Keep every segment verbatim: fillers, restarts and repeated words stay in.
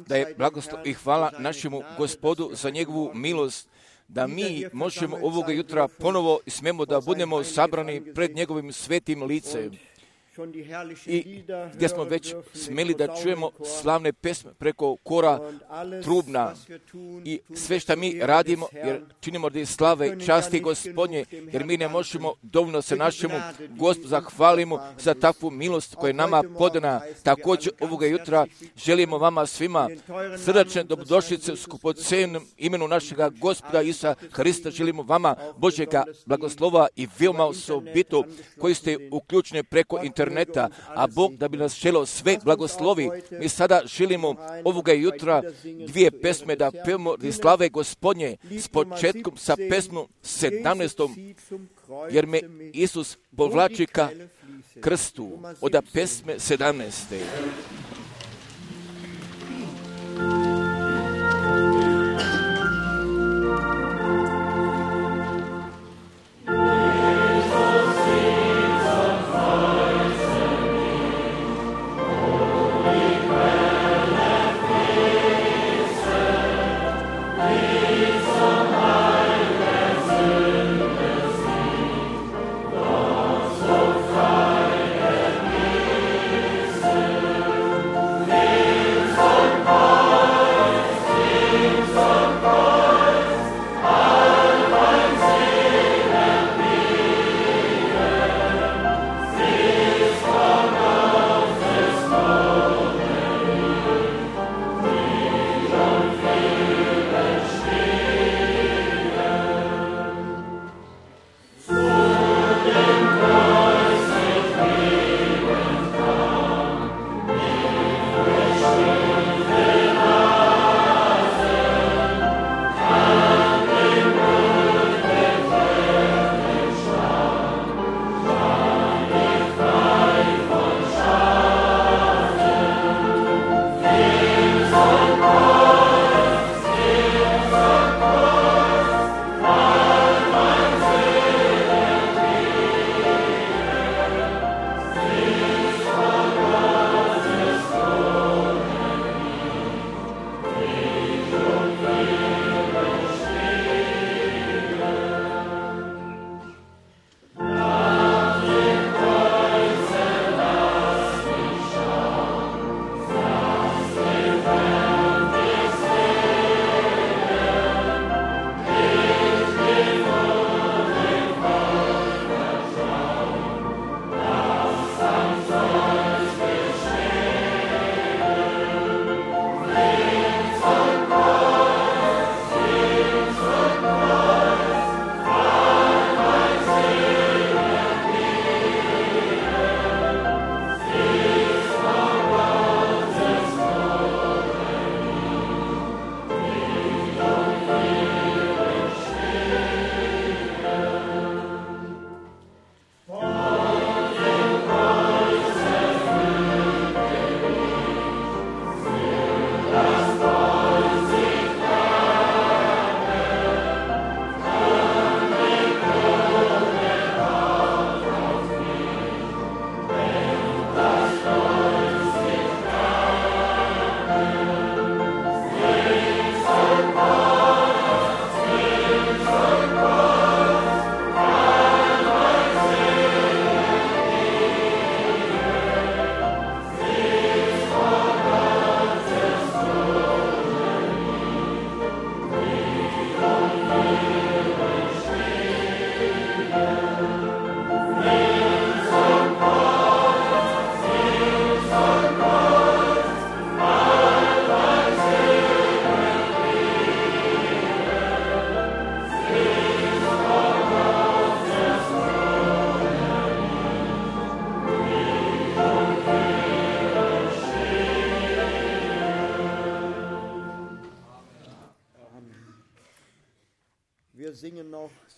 Da je blagoslov i hvala našemu Gospodu za njegovu milost, da mi možemo ovoga jutra ponovo smemo da budemo sabrani pred njegovim svetim licem. I gdje smo već smeli da čujemo slavne pesme preko kora trubna i sve što mi radimo, jer činimo radi slave i časti Gospodnje, jer mi ne možemo dovoljno se našemu Gospodu zahvalimo za takvu milost koja je nama podana. Također ovoga jutra želimo vama svima srdačne dobrodošlice u skupocenom imenu našega Gospoda Isusa Hrista. Želimo vama Božjega blagoslova i veoma osobito koji ste uključeni preko interneta. Interneta, a Bog da bi nas želeo sve blagoslovi. Mi sada želimo ovoga jutra dvije pesme da pevamo radi slave Gospodnje s početkom sa pesmom sedamnaestom, jer me Isus povlači ka krstu, od pesme sedamnaeste.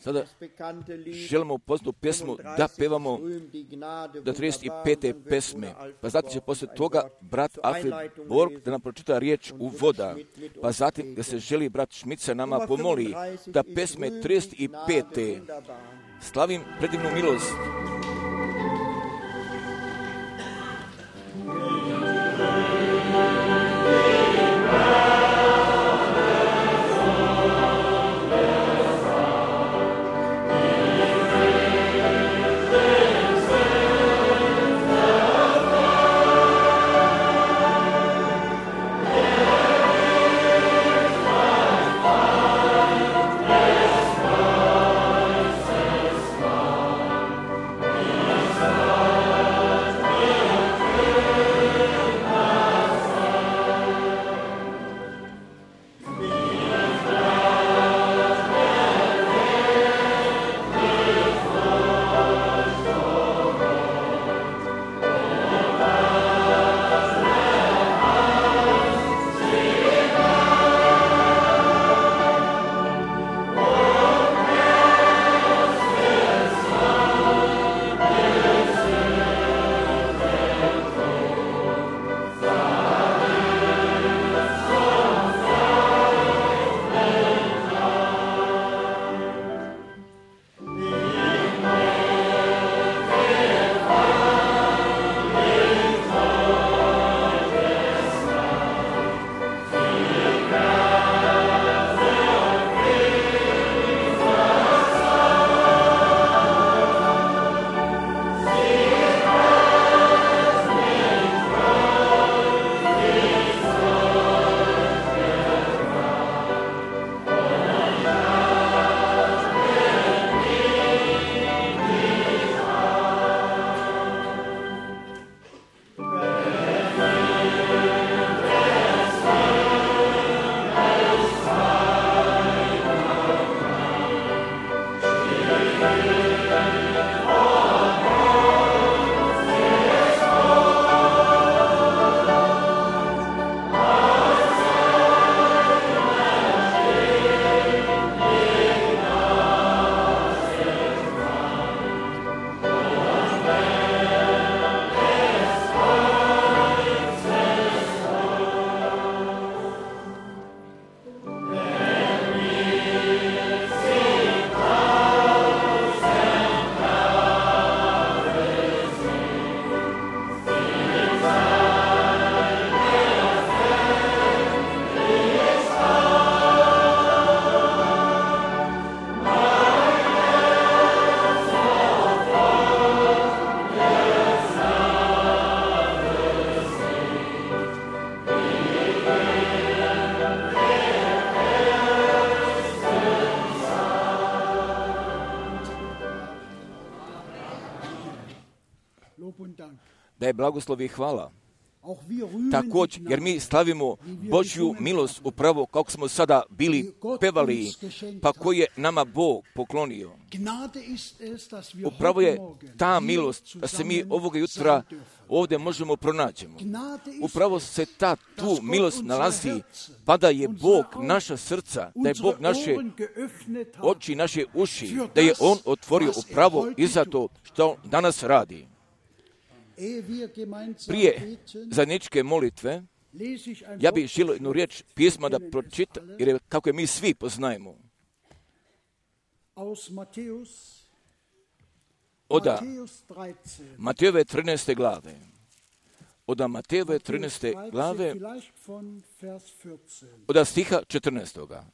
Sada želimo poznatu pjesmu da pevamo do trideset pete pesme. Pa zatim će poslije toga brat Alfred Borg da nam pročita riječ uvoda. Pa zatim da se želi brat Šmica nama pomoli da pesme trideset pete Slavim predivnu milost. Thank you. je blagoslov i hvala. Također, jer mi slavimo Božju milost upravo kako smo sada bili pevali, pa koji je nama Bog poklonio. Upravo je ta milost da se mi ovoga jutra ovdje možemo pronađemo. Upravo se ta tu milost nalazi, pa da je Bog naša srca, da je Bog naše oči, naše uši, da je On otvorio upravo i za to što danas radi. Prije zajedničke molitve, ja bih želio jednu riječ pisma da pročitam, jer je kako je mi svi poznajemo. Oda Matejove trinaeste glave. Oda Matejove trinaeste glave, oda stiha četrnaestoga.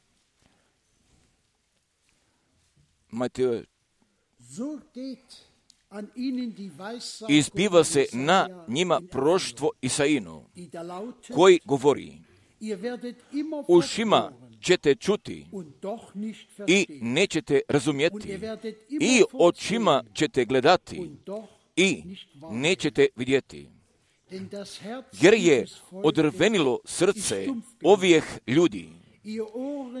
Matejove izbiva se na njima proštvo Isaino, koji govori: ušima ćete čuti i nećete razumjeti, i očima ćete gledati i nećete vidjeti. Jer je odrvenilo srce ovih ljudi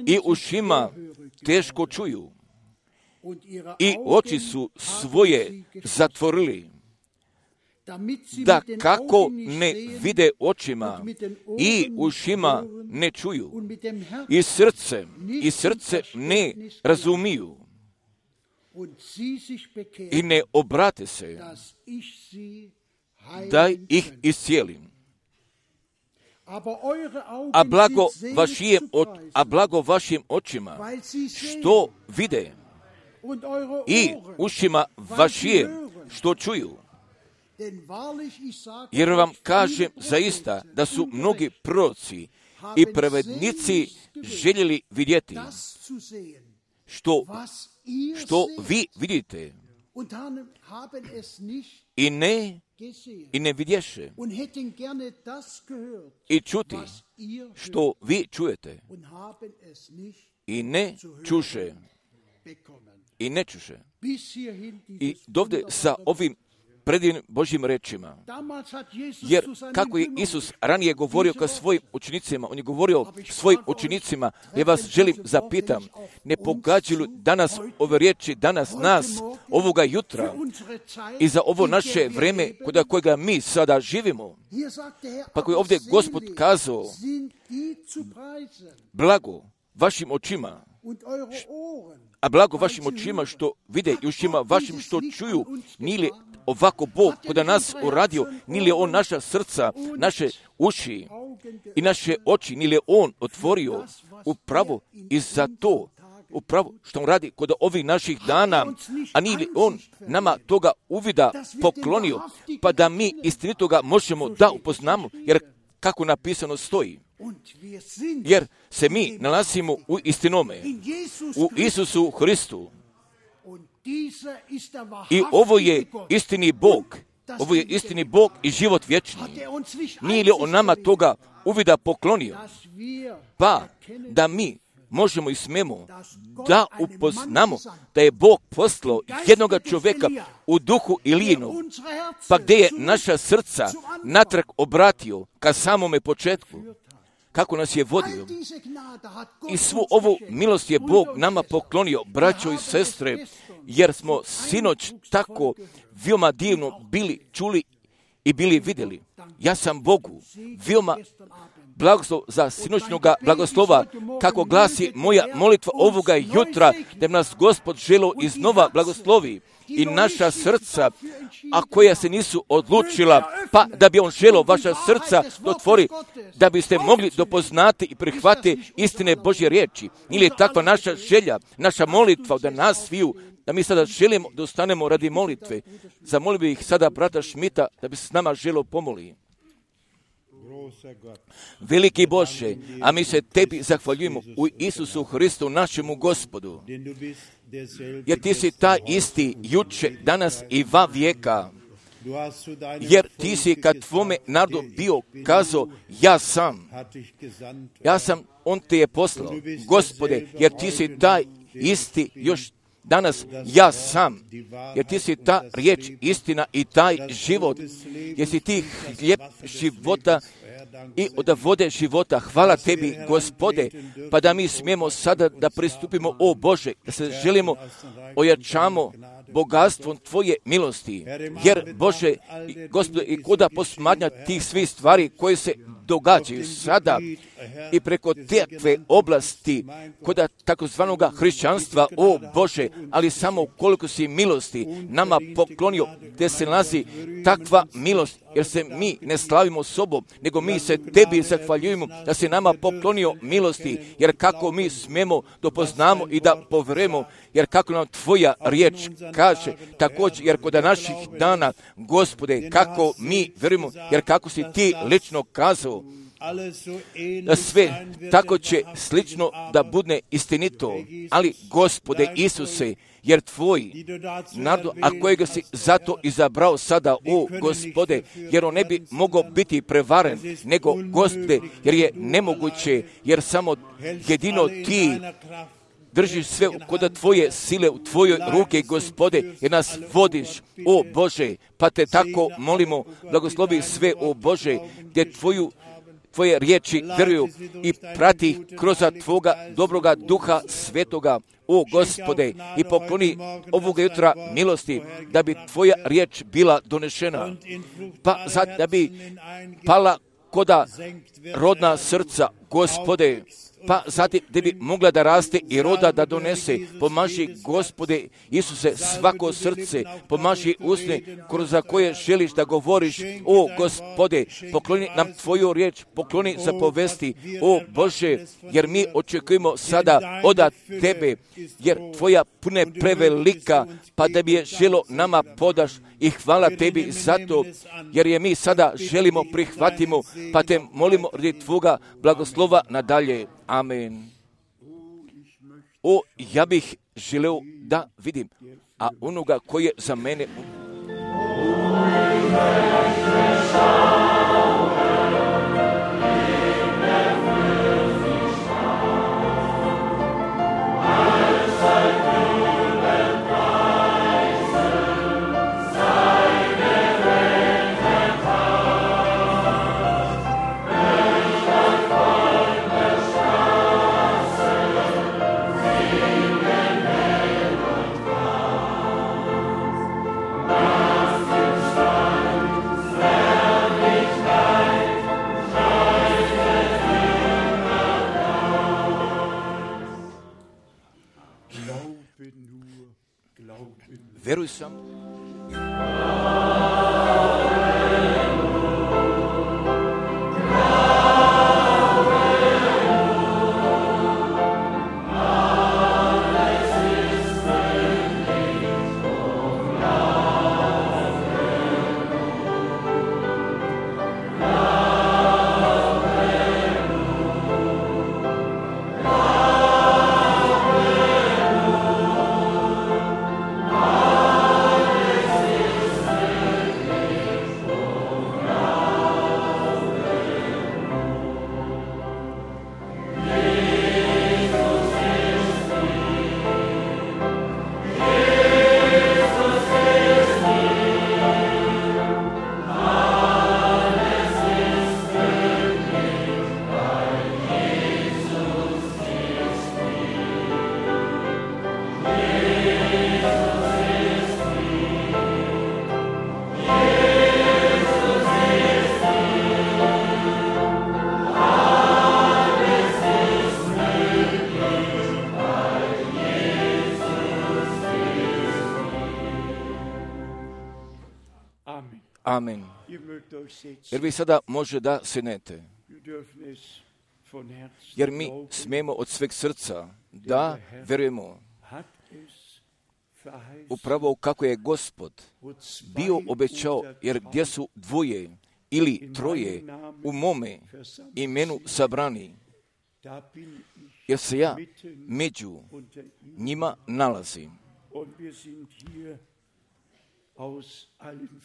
i ušima teško čuju i oči su svoje zatvorili, da kako ne vide očima i ušima ne čuju i srce i srce ne razumiju i ne obrate se da ih iscijelim. A blago vašim, a blago vašim očima što vide i ušima vašim što čuju. Jer vam kažem zaista da su mnogi proroci i pravednici željeli vidjeti što, što vi vidite i ne, i ne vidješe, i čuti što vi čujete i ne čuše i ne čuše. I dovde sa ovim predivnim Božjim rečima. Jer kako je Isus ranije govorio ka svojim učenicima, on je govorio svojim učenicima, ja vas želim zapitam, ne pogađaju danas ove riječi, danas nas, ovoga jutra i za ovo naše vreme kod kojega mi sada živimo. Pa koji je ovdje Gospod kazao, blago vašim očima, a blago vašim očima što vide i ušima vašim što čuju, nije li ovako Bog kod nas uradio, nije li On naša srca, naše uši i naše oči, nije li On otvorio upravo i za to, upravo što On radi kod ovih naših dana, a nije li On nama toga uvida poklonio, pa da mi istinitoga možemo da upoznamo, jer kako napisano stoji. Jer se mi nalazimo u istinome, u Isusu Hristu. I ovo je istini Bog, ovo je istini Bog i život vječni. Nije li On nama toga uvida poklonio? Pa da mi možemo i smemo da upoznamo da je Bog poslao jednoga čovjeka u duhu Ilijinog, pa gdje je naša srca natrag obratio ka samome početku, kako nas je vodio. I svu ovu milost je Bog nama poklonio, braćo i sestre, jer smo sinoć tako veoma divno bili čuli i bili vidjeli. Ja sam Bogu veoma blagoslov za sinoćnoga blagoslova, kako glasi moja molitva ovoga jutra, da nas Gospod želo iznova blagoslovi i naša srca, a koja se nisu odlučila, pa da bi On želo vaša srca da otvori, da biste mogli dopoznati i prihvatiti istine Božje riječi. Ili je takva naša želja, naša molitva da nas sviju, da mi sada želimo da ostanemo radi molitve. Zamolio bih sada brata Šmita da bi se s nama želo pomoli. Veliki Bože, a mi se Tebi zahvaljujemo u Isusu Hristu, našemu Gospodu, jer Ti si ta isti juče, danas i va vijeka, jer Ti si kad Tvome narodu bio kazao, ja sam, ja sam, On Te je poslao, Gospode, jer Ti si taj isti još danas ja sam, jer ti si ta riječ, istina i taj život, jer si ti hljeb života i od vode života. Hvala tebi, Gospode, pa da mi smijemo sada da pristupimo, o Bože, da se želimo ojačamo bogatstvom Tvoje milosti. Jer, Bože, Gospode, i kuda posmatnja tih svih stvari koje se događaju sada i preko takve oblasti kod takozvanog hrišćanstva, o Bože, ali samo koliko si milosti nama poklonio, gdje se nalazi takva milost, jer se mi ne slavimo sobom, nego mi se tebi zahvaljujemo da se nama poklonio milosti, jer kako mi smijemo da poznamo i da poverujemo, jer kako nam Tvoja riječ kaže, također, jer kod naših dana, Gospode, kako mi verujemo, jer kako si ti lično kazao, da sve tako će slično da bude istinito, ali Gospode Isuse, jer Tvoj narod, a kojega si zato izabrao sada, o Gospode, jer on ne bi mogao biti prevaren, nego Gospode, jer je nemoguće, jer samo jedino Ti držiš sve kod Tvoje sile u Tvojoj ruke, Gospode, jer nas vodiš, o Bože, pa Te tako molimo, blagoslovi sve, o Bože, gdje Tvoju Tvoje riječi vjeruju i prati kroz Tvoga dobroga duha svetoga, o Gospode, i pokloni ovoga jutra milosti, da bi Tvoja riječ bila donešena, pa sad da bi pala koda rodna srca, Gospode, pa zatim da bi mogla da raste i roda da donese. Pomaži, Gospode Isuse, svako srce, pomaži usne kroz za koje želiš da govoriš, o Gospode, pokloni nam Tvoju riječ, pokloni za povesti, o Bože, jer mi očekujemo sada od Tebe, jer Tvoja pune prevelika, pa da bi je želo nama podaš, i hvala Tebi za to, jer je mi sada želimo prihvatimo, pa Te molimo radi Tvoga blagoslova nadalje. Amen. O, ja bih želeo da vidim, a onoga koji je za mene... Veruj samo. Amen. Jer vi sada može da sednete. Jer mi smijemo od sveg srca da verujemo upravo kako je Gospod bio obećao, jer gdje su dvoje ili troje u mome imenu sabrani, jer se ja među njima nalazim.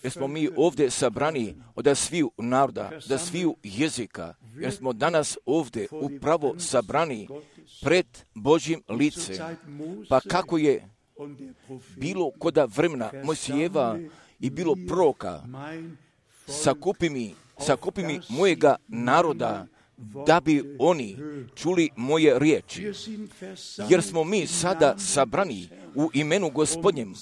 Jer smo mi ovdje sabrani od sviju naroda, da sviju jezika, jer smo danas ovdje upravo sabrani pred Božjim licem. Pa kako je bilo koda vremena Mojsijeva i bilo proroka, sakupi mi, sakupi mi mojega naroda, da bi oni čuli moje riječi. Jer smo mi sada sabrani u imenu Gospodnjem,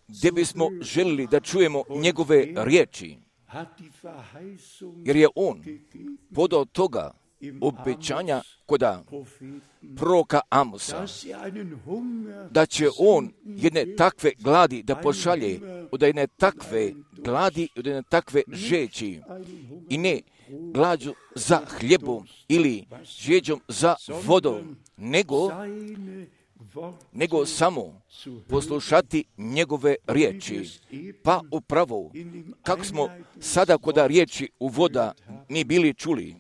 gdje bismo želili da čujemo njegove riječi. Jer je on podao toga obećanja koda proroka Amosa, da će on jedne takve gladi da pošalje, od jedne takve gladi, od jedne takve žeći, i ne glađu za hljebom ili žeđom za vodom, nego, nego samo poslušati njegove riječi. Pa upravo, kako smo sada koda riječi u voda mi bili čuli,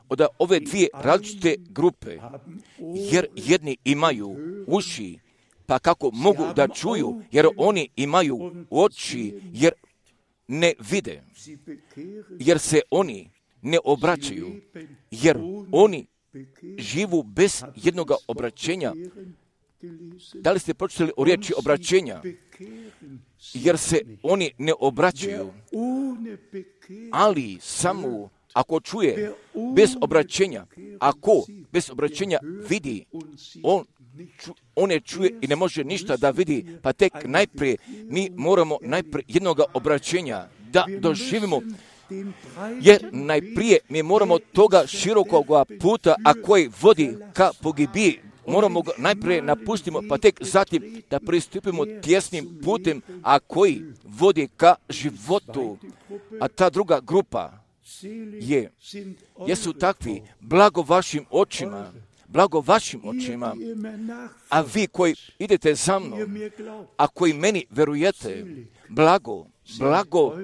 od ove dvije različite grupe, jer jedni imaju uši, pa kako mogu da čuju, jer oni imaju oči, jer ne vide, jer se oni ne obraćaju, jer oni živu bez jednog obraćenja. Da li ste pročitali o riječi obraćenja? Jer se oni ne obraćaju, ali samo ako čuje bez obraćenja, ako bez obraćenja vidi, on, ču, on ne čuje i ne može ništa da vidi, pa tek najprije mi moramo najprije jednog obraćenja da doživimo, jer najprije mi moramo toga širokog puta, a koji vodi ka pogibiji, moramo ga najprije napustimo, pa tek zatim da pristupimo tjesnim putem, a koji vodi ka životu. A ta druga grupa je, jesu takvi, blago vašim očima, blago vašim očima, a vi koji idete za mnom, a koji meni verujete, blago, blago,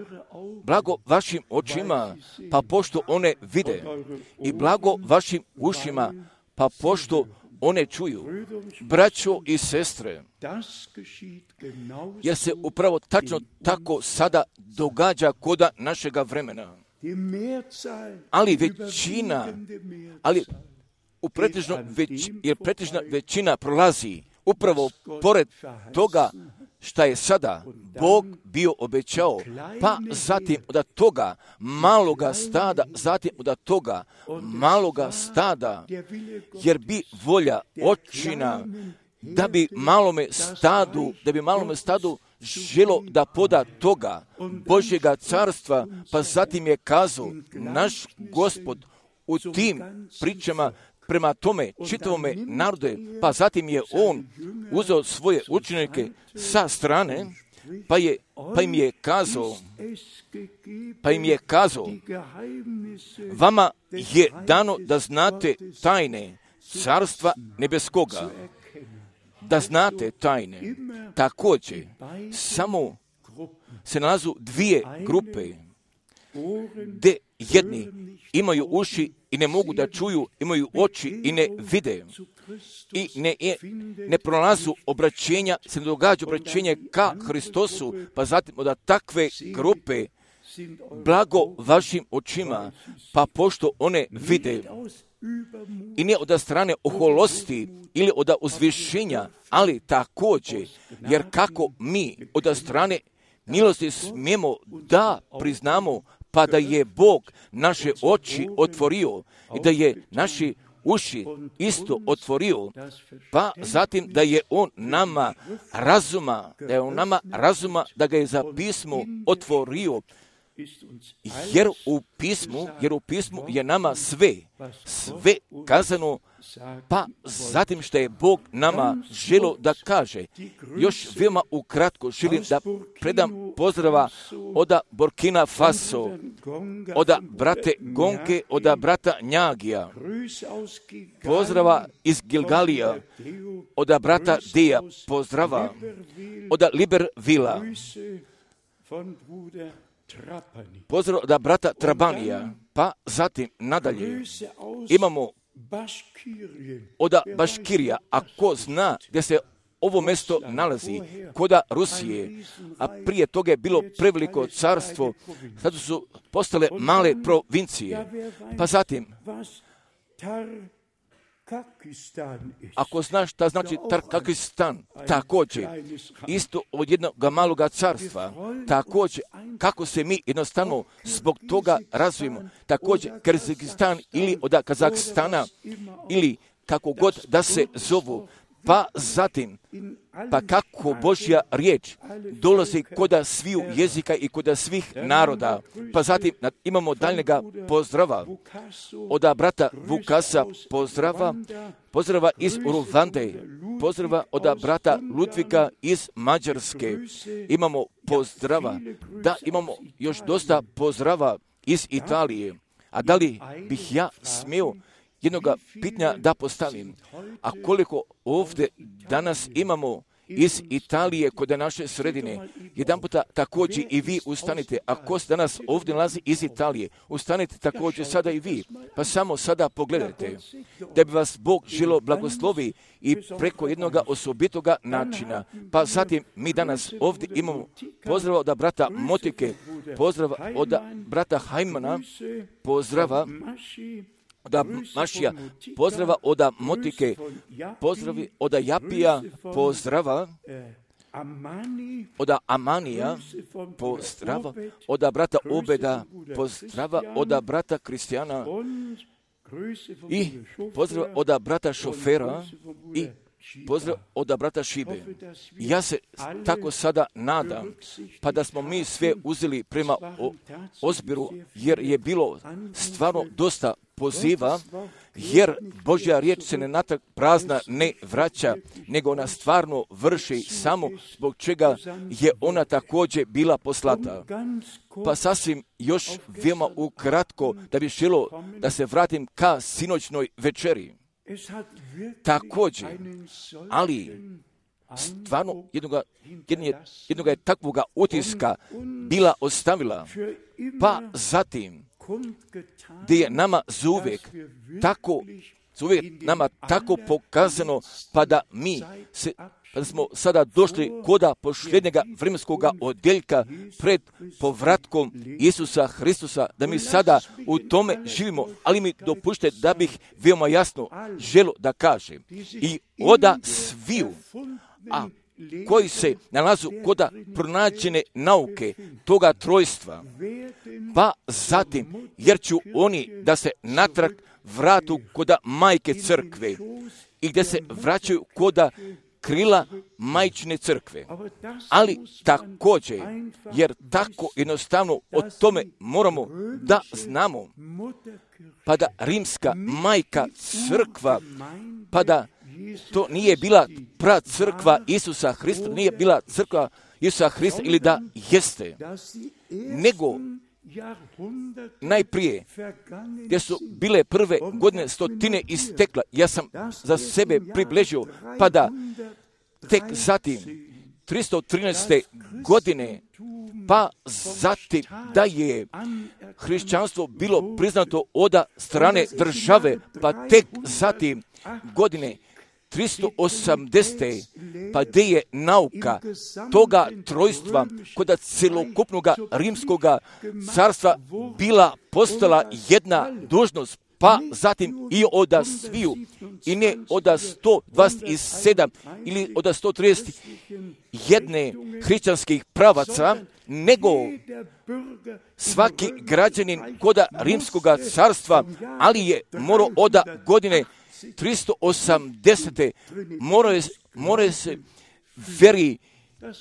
blago vašim očima, pa pošto one vide, i blago vašim ušima, pa pošto one čuju. Braćo i sestre, jer se upravo tačno tako sada događa koda našega vremena. Ali većina, ali u pretežno već, jer pretežna većina prolazi upravo pored toga šta je sada Bog bio obećao, pa zatim od toga maloga stada, zatim od toga maloga stada, jer bi volja očina da bi malome stadu, da bi malome stadu želo da poda toga Božjega carstva, pa zatim je kazao naš Gospod u tim pričama prema tome čitavome narode, pa zatim je on uzeo svoje učenike sa strane, pa, je, pa im je kazao, pa im je kazao, vama je dano da znate tajne carstva nebeskoga, da znate tajne. Također, samo se nalazu dvije grupe, gdje jedni imaju uši i ne mogu da čuju, imaju oči i ne vide, i ne, ne prolazu obraćenja, se ne događa obraćenje ka Hristosu, pa zatim od takve grupe blago vašim očima, pa pošto one vide, i ne od strane oholosti ili od uzvišenja, ali također, jer kako mi od strane milosti smijemo da priznamo, pa da je Bog naše oči otvorio i da je naši uši isto otvorio, pa zatim da je on nama razuma, da je on nama razuma, da ga je za pismo otvorio, jer u pismu, jer u pismu je nama sve, sve kazano, pa zatim što je Bog nama želo da kaže. Još veoma ukratko želim da predam pozdrava od Burkina Faso, od brate Gonke, od brata Njagija, pozdrava iz Gilgalija, od brata Dija, pozdrava od Libervila, pozdrav da brata Trabanija, pa zatim nadalje imamo od Baškirija, a ko zna gdje se ovo mjesto nalazi, koda Rusije, a prije toga je bilo preveliko carstvo, sad su postale male provincije. Pa zatim, ako znaš šta znači Tarkakistan, također, isto od jednog maloga carstva, također, kako se mi jednostavno zbog toga razvijemo, također, Kazakistan ili od Kazakstana, ili kako god da se zovu, pa zatim, pa kako Božja riječ dolazi koda sviju jezika i koda svih naroda. Pa zatim imamo daljnjega pozdrava od brata Vukasa, pozdrava, pozdrava iz Ruvande, pozdrava od brata Ludvika iz Mađarske. Imamo pozdrava, da imamo još dosta pozdrava iz Italije. A da li bih ja smio jednoga pitanja da postavim? A koliko ovdje danas imamo iz Italije kod naše sredine, jedan puta također i vi ustanite. Ako se danas ovdje nalazi iz Italije, ustanite također sada i vi. Pa samo sada pogledajte da bi vas Bog želo blagoslovi i preko jednoga osobitoga načina. Pa zatim mi danas ovdje imamo pozdrava od brata Motike, pozdrava od brata Hajmana, pozdrava od Mašija, pozdrava od Motike, pozdravi od Japija, pozdrava od Amanija, pozdrava od brata Obeda, pozdrava od brata Kristijana i pozdrava od brata Šofera i pozdrav od brata Šibe. Ja se tako sada nadam, pa da smo mi sve uzeli prema o, ozbiru, jer je bilo stvarno dosta poziva, jer Božja riječ se ne natrag prazna ne vraća, nego ona stvarno vrši samo zbog čega je ona također bila poslata. Pa sasvim još veoma ukratko da bi želo da se vratim ka sinoćnoj večeri. Također, ali stvarno jednoga, jednoga, jednoga je takvoga utiska bila ostavila, pa zatim gdje je nama zauvijek tako, zauvijek nama tako pokazano, pa da mi se, pa da smo sada došli koda posljednjega vremenskog odjeljka pred povratkom Isusa Hristusa, da mi sada u tome živimo, ali mi dopušte da bih veoma jasno želo da kažem i oda sviju, a koji se nalazu koda pronađene nauke toga trojstva, pa zatim, jer ću oni da se natrag vratu koda majke crkve i gdje se vraćaju koda krila majčine crkve. Ali također, jer tako jednostavno o tome moramo da znamo, pa da rimska majka crkva, pa da to nije bila pra crkva Isusa Hrista, nije bila crkva Isusa Hrista ili da jeste, nego najprije gdje su bile prve godine stotine istekla, ja sam za sebe približio, pa da tek zatim tristo trinaeste godine, pa zatim da je hrišćanstvo bilo priznato od strane države, pa tek zatim godine tristo osamdesete pa gdje je nauka toga trojstva kod celokupnog rimskog carstva bila postala jedna dužnost, pa zatim i od sviju, i ne od sto dvadeset sedam ili od sto trideset jedan hrišćanskih pravaca, nego svaki građanin kod rimskog carstva, ali je morao od godine tristo osamdesete mora, mora se veri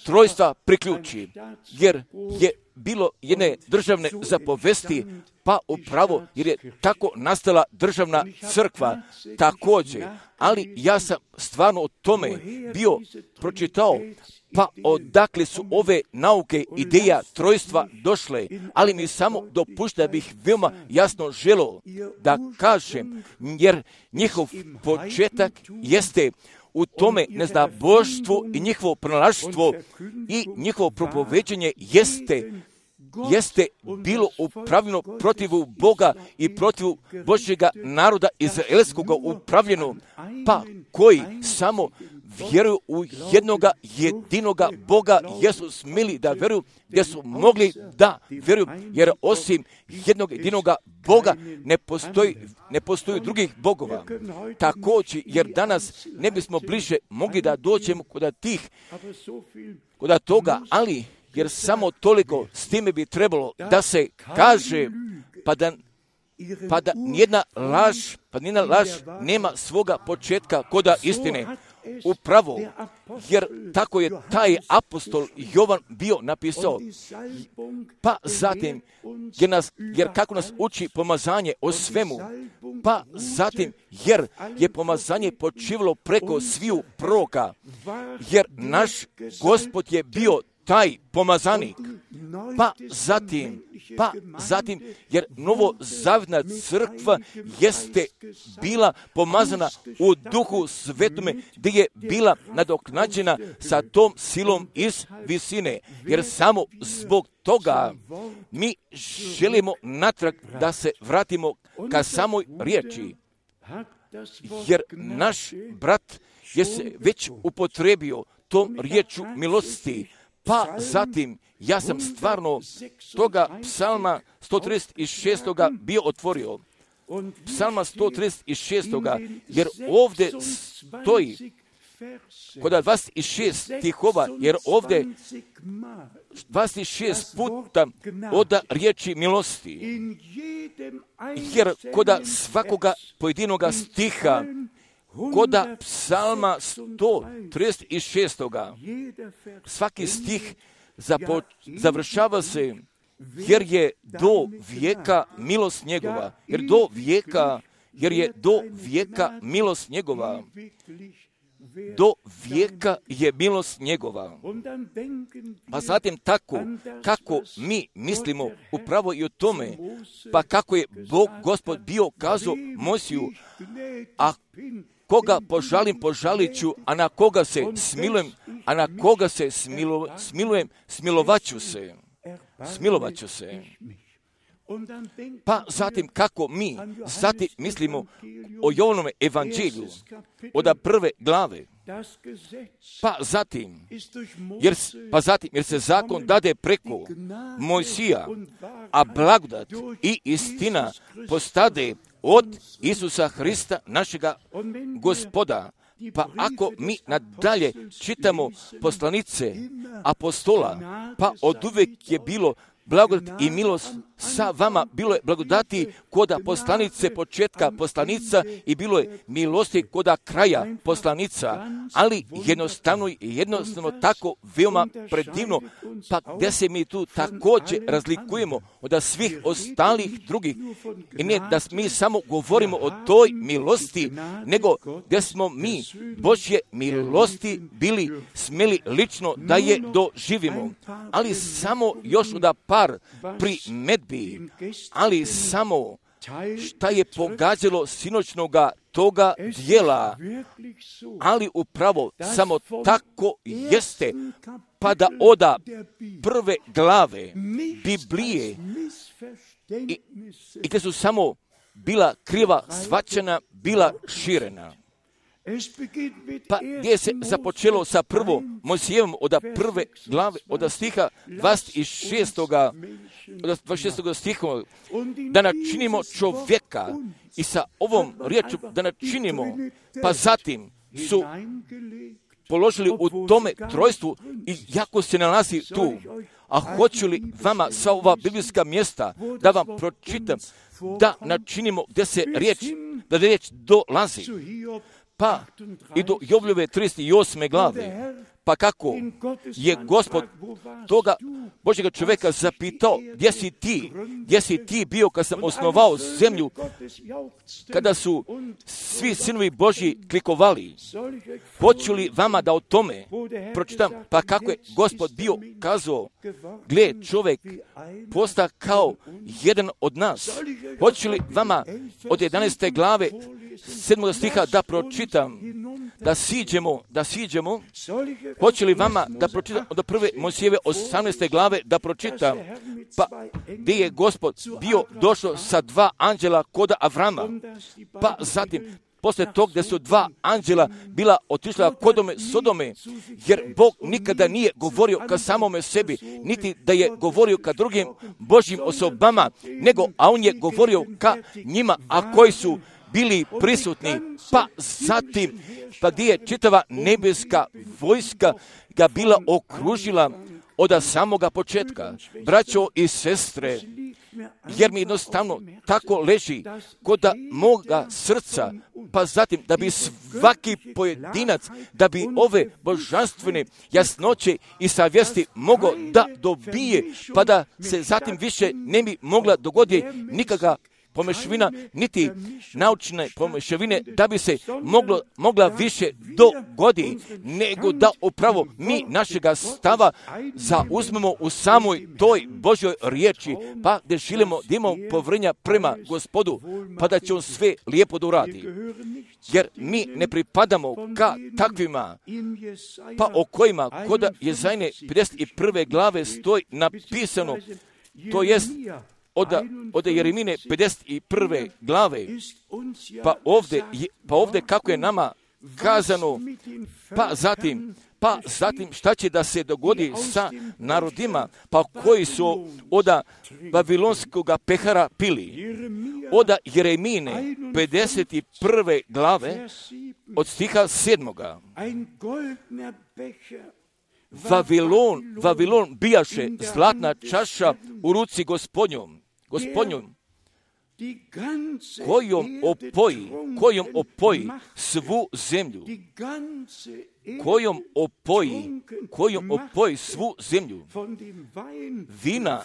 trojstva priključi, jer je bilo jedne državne zapovesti, pa upravo jer je tako nastala državna crkva također. Ali ja sam stvarno o tome bio pročitao, pa odakle su ove nauke, ideja trojstva došle, ali mi samo dopušta da bih veoma jasno želio da kažem, jer njihov početak jeste u tome neznaboštvu i njihovo pronalaštvo i njihovo propoveđenje jeste jeste bilo upravljeno protivu Boga i protivu Božjega naroda izraelskog upravljeno, pa koji samo vjeruju u jednoga jedinoga Boga, jesu smili da vjeruju, gdje su mogli da vjeruju, jer osim jednog jedinoga Boga ne postoji, ne postoji drugih bogova. Također, jer danas ne bismo bliže mogli da dođemo kod tih, kod toga, ali jer samo toliko s time bi trebalo da se kaže, pa da pa da nijedna laž, pa nijedna laž nema svoga početka koda istine. Upravo, jer tako je taj apostol Jovan bio napisao. Pa zatim, jer, nas, jer kako nas uči pomazanje o svemu, pa zatim, jer je pomazanje počivalo preko sviju proroka, jer naš Gospod je bio taj pomazanik, pa zatim, pa zatim, jer novozavjetna crkva jeste bila pomazana u Duhu Svetome, gdje je bila nadoknađena sa tom silom iz visine, jer samo zbog toga mi želimo natrag da se vratimo ka samoj riječi, jer naš brat je se već upotrebio tom riječu milosti. Pa zatim, ja sam stvarno toga psalma sto trideset šest bio otvorio. Psalma sto trideset šest, jer ovdje stoji kod dvadeset šest stihova, jer ovdje dvadeset šest puta oda riječi milosti. Jer kod svakoga pojedinoga stiha, koda psalma sto trideset šest. Svaki stih zapo, završava se, jer je do vijeka milost njegova. Jer do vijeka, jer je do vijeka milost njegova. Do vijeka je milost njegova. Pa zatim tako, kako mi mislimo upravo i o tome, pa kako je Bog Gospod bio kazao Mojsiju, a koga požalim, požalit ću, a na koga se smilujem, a na koga se smilo, smilujem, smilovaću se. Smilovaću se. Pa zatim kako mi zatim mislimo o Jovanom evanđelju od prve glave. Pa zatim, jer, pa zatim, jer se zakon dade preko Mojsija, a blagodat i istina postade od Isusa Hrista, našega Gospoda. Pa ako mi nadalje čitamo poslanice apostola, pa oduvijek je bilo blagodat i milost sa vama, bilo je blagodati koda poslanice početka poslanica i bilo je milosti koda kraja poslanica, ali jednostavno i jednostavno tako veoma predivno, pa gdje se mi tu također razlikujemo od svih ostalih drugih. I ne da mi samo govorimo o toj milosti, nego gdje smo mi Božje milosti bili smjeli lično da je doživimo. Ali samo još od par primedbi, ali samo šta je pogađalo sinoćnoga toga dijela, ali upravo samo tako jeste, pa da oda prve glave Biblije i, i gdje su samo bila kriva shvaćena, bila širena. Pa gdje se započelo sa prvo Mojsijevom od prve glave, od stiha dvadeset šest. Od dvadeset šest. stiha, da načinimo čovjeka i sa ovom riječu da načinimo, pa zatim su položili u tome trojstvu i jako se nalazi tu. A hoću li vama sa ova biblijska mjesta da vam pročitam, da načinimo gdje se riječ, da riječ dolazi. Pa i do Jobljove trideset osme glave, pa kako je Gospod toga Božjega čovjeka zapitao, gdje si ti, gdje si ti bio kad sam osnovao zemlju, kada su svi sinovi Božji klikovali. Hoću li vama da o tome pročitam, pa kako je Gospod bio kazao, gle, čovjek posta kao jedan od nas. Hoću li vama od jedanaeste glave sedmog stiha da pročitam, da siđemo, da siđemo, hoće li vama da pročitam od prve Mojsijeve osamnaeste glave da pročitam, pa gdje je Gospod bio došao sa dva anđela koda Avrama, pa zatim poslije tog gdje su dva anđela bila otišla kodome Sodome, jer Bog nikada nije govorio ka samome sebi, niti da je govorio ka drugim Božjim osobama, nego, a on je govorio ka njima, a koji su bili prisutni, pa zatim, pa gdje je čitava nebeska vojska ga bila okružila od samoga početka. Braćo i sestre, jer mi jednostavno tako leži kod moga srca, pa zatim da bi svaki pojedinac, da bi ove božanstvene jasnoće i savjesti mogao da dobije, pa da se zatim više ne bi mogla dogoditi nikakva pomešavina, niti naučne pomešavine, da bi se moglo, mogla više dogodi, nego da upravo mi našega stava zauzmemo u samoj toj Božjoj riječi, pa da želimo da imamo povjerenja prema Gospodu, pa da će on sve lijepo da uradi. Jer mi ne pripadamo ka takvima, pa o kojima kod Jezajne pedeset prve glave stoji napisano, to jest Od, od Jeremine pedeset prve glave, pa ovdje, pa ovdje kako je nama kazano, pa zatim, pa zatim šta će da se dogodi sa narodima, pa koji su od Babilonskog pehara pili. Od Jeremine pedeset prve glave, od stiha sedmoga. Vavilon, Vavilon bijaše zlatna čaša u ruci gospodnjom, gospodnjom, kojom opoji, kojom opoji svu zemlju, kojom opoji, kojom opoji svu zemlju. Vina,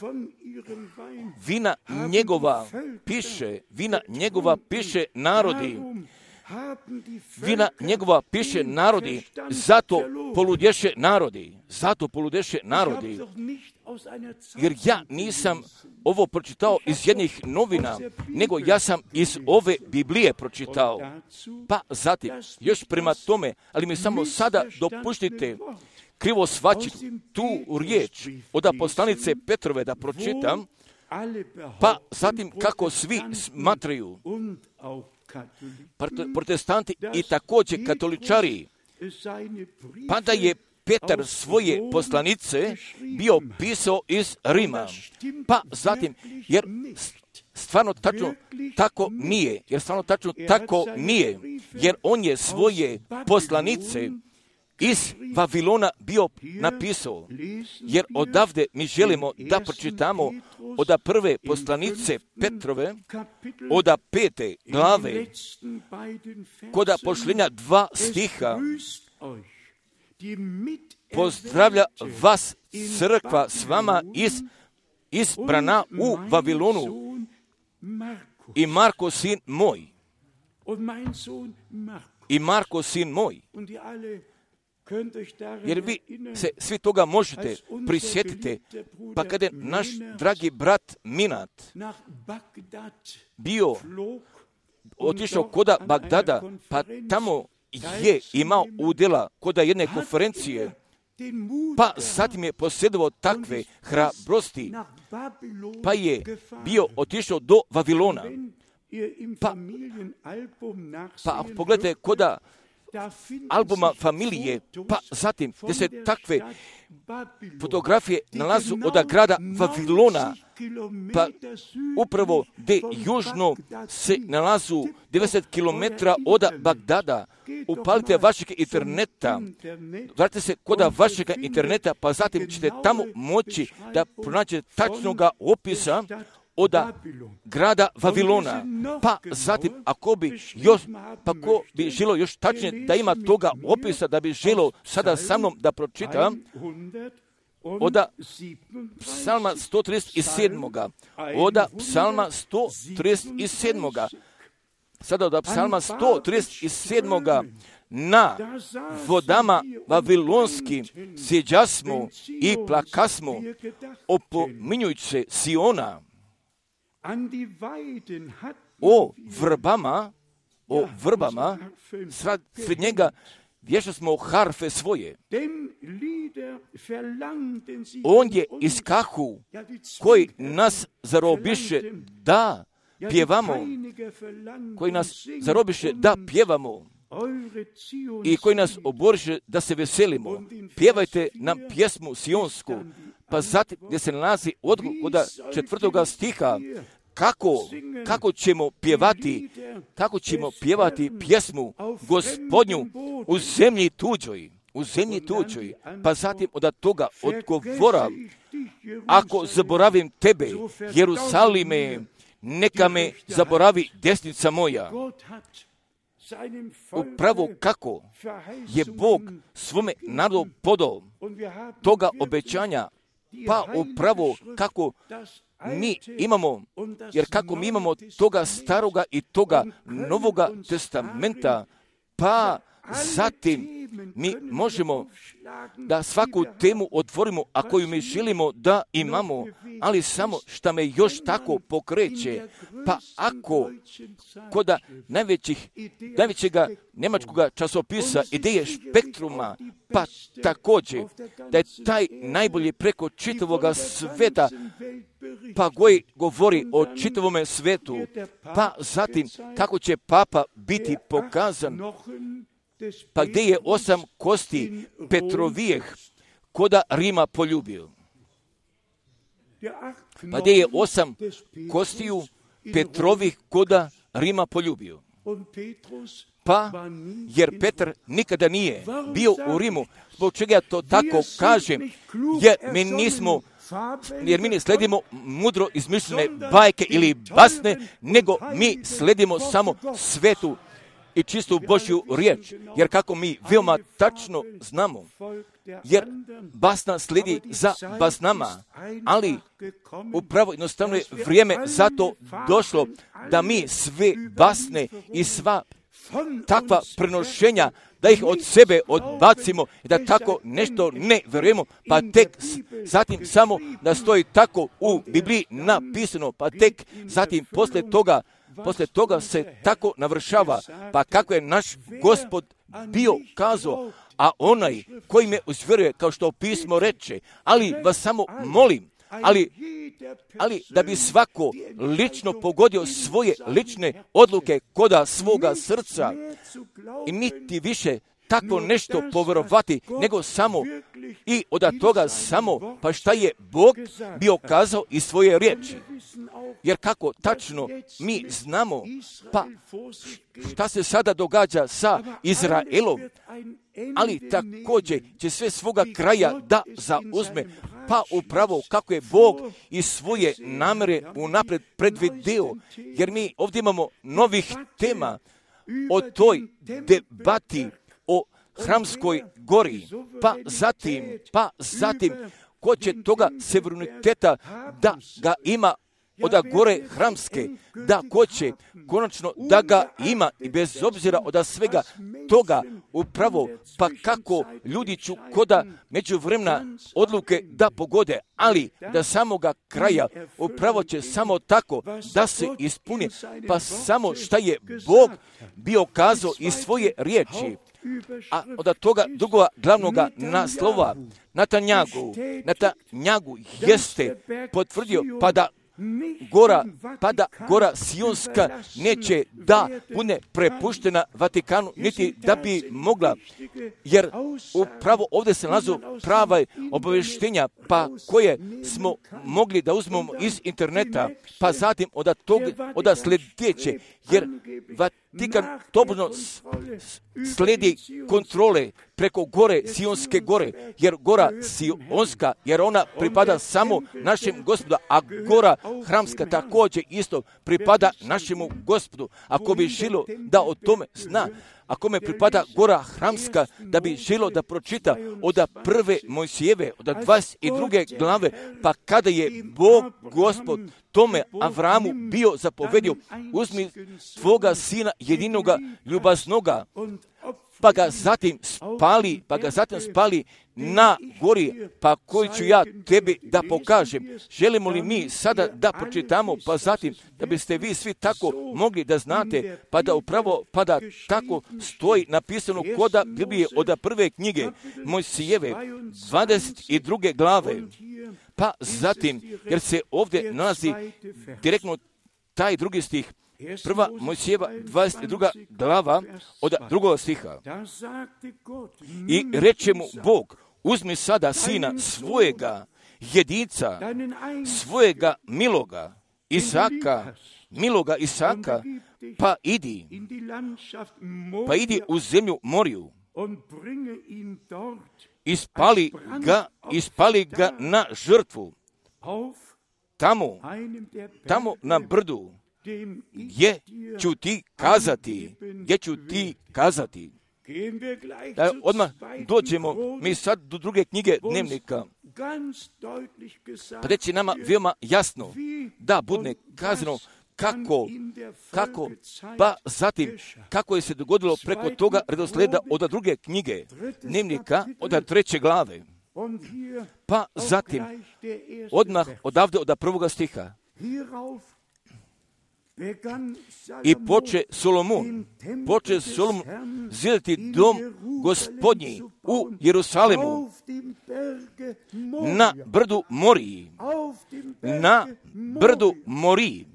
vina njegova piše, vina njegova piše narodi, vina njegova piše narodi, zato poludješe narodi, zato poludješe narodi. Jer ja nisam ovo pročitao iz jednih novina, nego ja sam iz ove Biblije pročitao. Pa zatim, još prema tome, ali mi samo sada dopuštite krivo svačiti tu riječ od poslanice Petrove da pročitam, pa zatim kako svi smatraju, protestanti i također katoličari, pa da je Petar svoje poslanice bio pisao iz Rima. Pa zatim, jer stvarno tačno tako nije, jer stvarno tačno tako nije, jer on je svoje poslanice iz Vavilona bio napisao, jer odavde mi želimo da pročitamo od prve poslanice Petrove, od pete glave, kod pošljenja dva stiha, pozdravlja vas crkva s vama iz, izbrana u Vavilonu i Marko sin moj. I Marko sin moj. Jer vi se svi toga možete prisjetiti, pa kada je naš dragi brat Minat bio otišao koda Bagdada, pa tamo je imao udjela koda jedne konferencije, pa zatim je posjedovao takve hrabrosti, pa je bio otišao do Vavilona. Pa, pa pogledajte koda albuma familije, pa zatim gdje se takve fotografije nalazu od grada Vavilona, pa upravo gdje južno se nalazu devedeset kilometara od Bagdada. Upalite vašeg interneta, vratite se kod vašeg interneta, pa zatim ćete tamo moći da pronađete tačnoga opisa od grada Vavilona. Pa zatim, ako bi još, pa ko bi želio još tačnije da ima toga opisa, da bi želio sada sa mnom da pročitam, od psalma sto trideset sedam. Od psalma sto trideset sedam. Sada od psalma sto trideset sedam. Na vodama vavilonskim sjeđasmo i plakasmo, opominjujući se Siona. O vrbama, o vrbama, sred njega vješali smo harfe svoje. On je iskahu koji nas zarobiše, da, pjevamo, koji nas zarobiše da pjevamo i koji nas oboriše da se veselimo. Pjevajte nam pjesmu Sionsku, pa zatim gdje se nalazi odgovor od četvrtoga stiha, kako, kako ćemo pjevati, kako ćemo pjevati pjesmu Gospodnju u zemlji tuđoj, u zemlji tuđoj, pa zatim od toga odgovora, ako zaboravim tebe, Jerusalime, neka me zaboravi desnica moja. Upravo kako je Bog svome narodu podao toga obećanja, pa upravo kako mi imamo, jer kako mi imamo toga staroga i toga novoga testamenta, pa zatim mi možemo da svaku temu otvorimo, a koju mi želimo da imamo, ali samo što me još tako pokreće, pa ako kod najvećih, najvećega njemačkog časopisa Ideje Spektruma, pa također da je taj najbolji preko čitavoga sveta, pa koji govori o čitavome svetu, pa zatim kako će papa biti pokazan, pa gdje je osam kosti Petrovijeh koda Rima poljubio. Pa gdje je osam kostiju Petrovih koda Rima poljubio. Pa, jer Petar nikada nije bio u Rimu, zbog čega ja to tako kažem, jer mi nismo, jer mi ne sledimo mudro izmišljene bajke ili basne, nego mi sledimo samo svetu i čistu Božju riječ, jer kako mi veoma tačno znamo, jer basna slijedi za basnama, ali upravo jednostavno je vrijeme zato došlo da mi sve basne i sva takva prenošenja, da ih od sebe odbacimo i da tako nešto ne vjerujemo, pa tek zatim samo da stoji tako u Bibliji napisano, pa tek zatim poslije toga Poslije toga se tako navršava, pa kako je naš Gospod bio kazao, a onaj koji me uzvjeruje, kao što pismo reče, ali vas samo molim, ali, ali da bi svako lično pogodio svoje lične odluke koda svoga srca i niti više tako nešto povjerovati, nego samo i od toga samo, pa šta je Bog bio kazao iz svoje riječi. Jer kako tačno mi znamo, pa šta se sada događa sa Izraelom, ali također će sve svoga kraja da zauzme, pa upravo kako je Bog i svoje namere unaprijed predvidio, jer mi ovdje imamo novih tema o toj debati o Hramskoj gori, pa zatim, pa zatim, ko će toga suvereniteta da ga ima od gore Hramske, da ko će konačno da ga ima i bez obzira od svega toga upravo, pa kako ljudi ću koda međuvremena odluke da pogode, ali da samoga kraja upravo će samo tako da se ispuni, pa samo šta je Bog bio kazao iz svoje riječi. A od toga drugog glavnoga naslova Netanjahu, Netanjahu jeste potvrdio pa da gora, pa da gora Sionska neće da bude prepuštena Vatikanu, niti da bi mogla, jer upravo ovdje se nalazu prava obavještenja, pa koje smo mogli da uzmemo iz interneta, pa zatim od tog, od sljedeće, jer Vatikan tobožno slijedi kontrole preko gore, Sionske gore, jer gora Sionska, jer ona pripada samo našem Gospodu, a gora Hramska također isto pripada našemu Gospodu. Ako bi želo da o tome zna, ako me pripada gora Hramska, da bi želo da pročita od prve Mojsijeve, od dvadeset druge glave, pa kada je Bog Gospod tome Avramu bio zapovedio, uzmi tvoga sina jedinoga ljubaznoga, pa ga zatim spali, pa ga zatim spali na gori, pa koji ću ja tebi da pokažem. Želimo li mi sada da pročitamo, pa zatim da biste vi svi tako mogli da znate, pa da upravo, pa da tako stoji napisano koda Biblije od prve knjige Mojsijeve, dvadeset druge glave, pa zatim, jer se ovdje nalazi direktno taj drugi stih, prva Mojsijeva dvadeset druga glava od drugog stiha. I reče mu Bog, uzmi sada sina svojega jedinca, svojega miloga, Isaka, miloga Isaka, pa idi, pa idi u zemlju Moriju, ispali ga, ispali ga na žrtvu, tamo, tamo na brdu, gdje ću ti kazati, gdje ću ti kazati. Da odmah dođemo mi sad do druge knjige Dnevnika. Pa reći nama veoma jasno da bude kazano kako, kako, pa zatim kako je se dogodilo preko toga redosleda od druge knjige Dnevnika, od treće glave. Pa zatim odmah odavde od prvoga stiha. I poče Solomon, poče Solomon zidati dom Gospodnji u Jerusalemu na brdu Moriji, na brdu Moriji,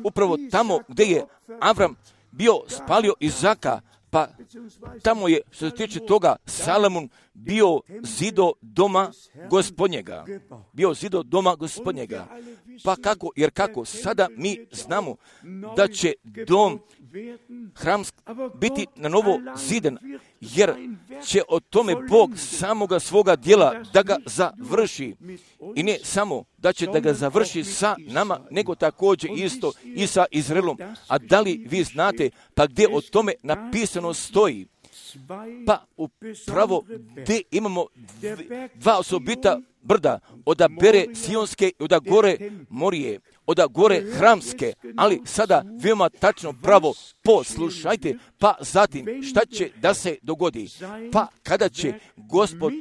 upravo tamo gdje je Avram bio spalio Izaka, pa tamo je, što se tiče toga, Salomon bio zido doma Gospodnjega. Bio zido doma Gospodnjega. Pa kako, jer kako, sada mi znamo da će dom hram biti na novo ziden, jer će o tome Bog samoga svoga djela da ga završi. I ne samo da će da ga završi sa nama, nego također isto i sa Izraelom. A da li vi znate, pa gdje o tome napisano stoji? Pa upravo gdje imamo dva osobita brda, oda bere Sionske i oda gore Morije, oda gore Hramske, ali sada veoma tačno pravo poslušajte, pa zatim šta će da se dogodi? Pa kada će Gospod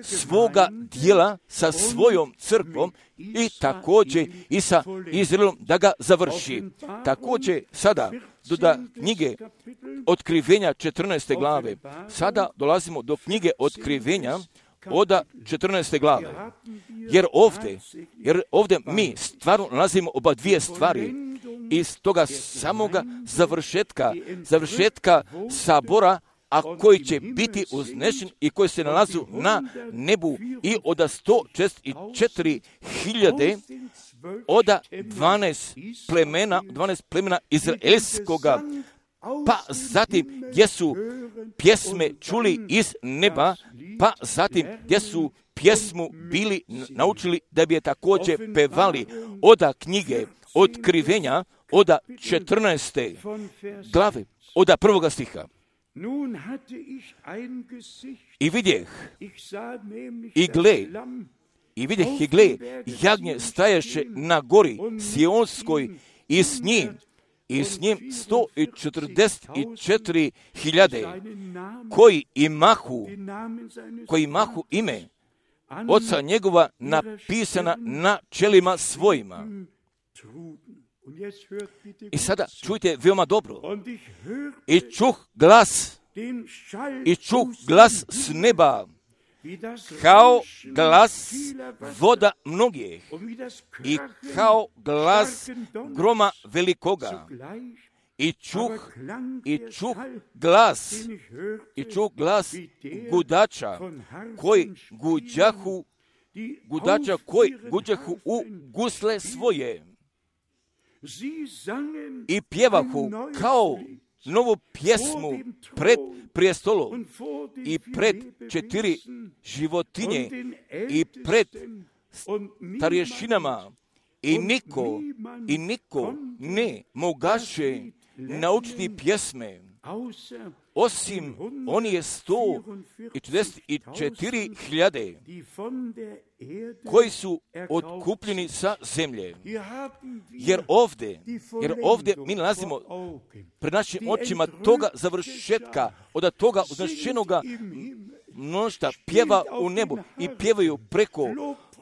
svoga djela sa svojom crkvom i također i sa Izraelom da ga završi. Također sada do da knjige Otkrivenja četrnaeste glave. Sada dolazimo do knjige Otkrivenja od četrnaeste glave. Jer ovdje, jer ovdje mi stvarno nalazimo oba dvije stvari iz toga samoga završetka, završetka sabora, a koji će biti uznešen i koji se nalazu na nebu i od sto četrdeset četiri hiljade od dvanaest plemena, dvanaest plemena izraelskoga, pa zatim gdje su pjesme čuli iz neba, pa zatim gdje su pjesmu bili naučili da bi je također pevali od knjige Otkrivenja od četrnaeste glave, od prvoga stiha. I vidjeh, i gle, i vidjeh i gle, jagnje staješe na gori Sionskoj i s njim, i s njim sto četrdeset četiri hiljade, koji imahu, koji imahu ime oca njegova napisana na čelima svojima. I sada čujte veoma dobro. I čuh glas, i čuh glas s neba, kao glas voda mnogih i kao glas groma velikoga. I čuh, i čuh glas, i čuh glas gudača, koji guđahu, gudača koji guđahu u gusle svoje. I pjevahu kao novu pjesmu pred prijestolom i pred četiri životinje i pred starješinama i niko, i niko ne mogaše naučiti pjesme, osim oni je sto četrdeset četiri hiljade koji su otkupljeni sa zemlje. Jer ovdje, jer ovdje mi nalazimo pred našim očima toga završetka, od toga uznešenoga mnoštva pjeva u nebu i pjevaju preko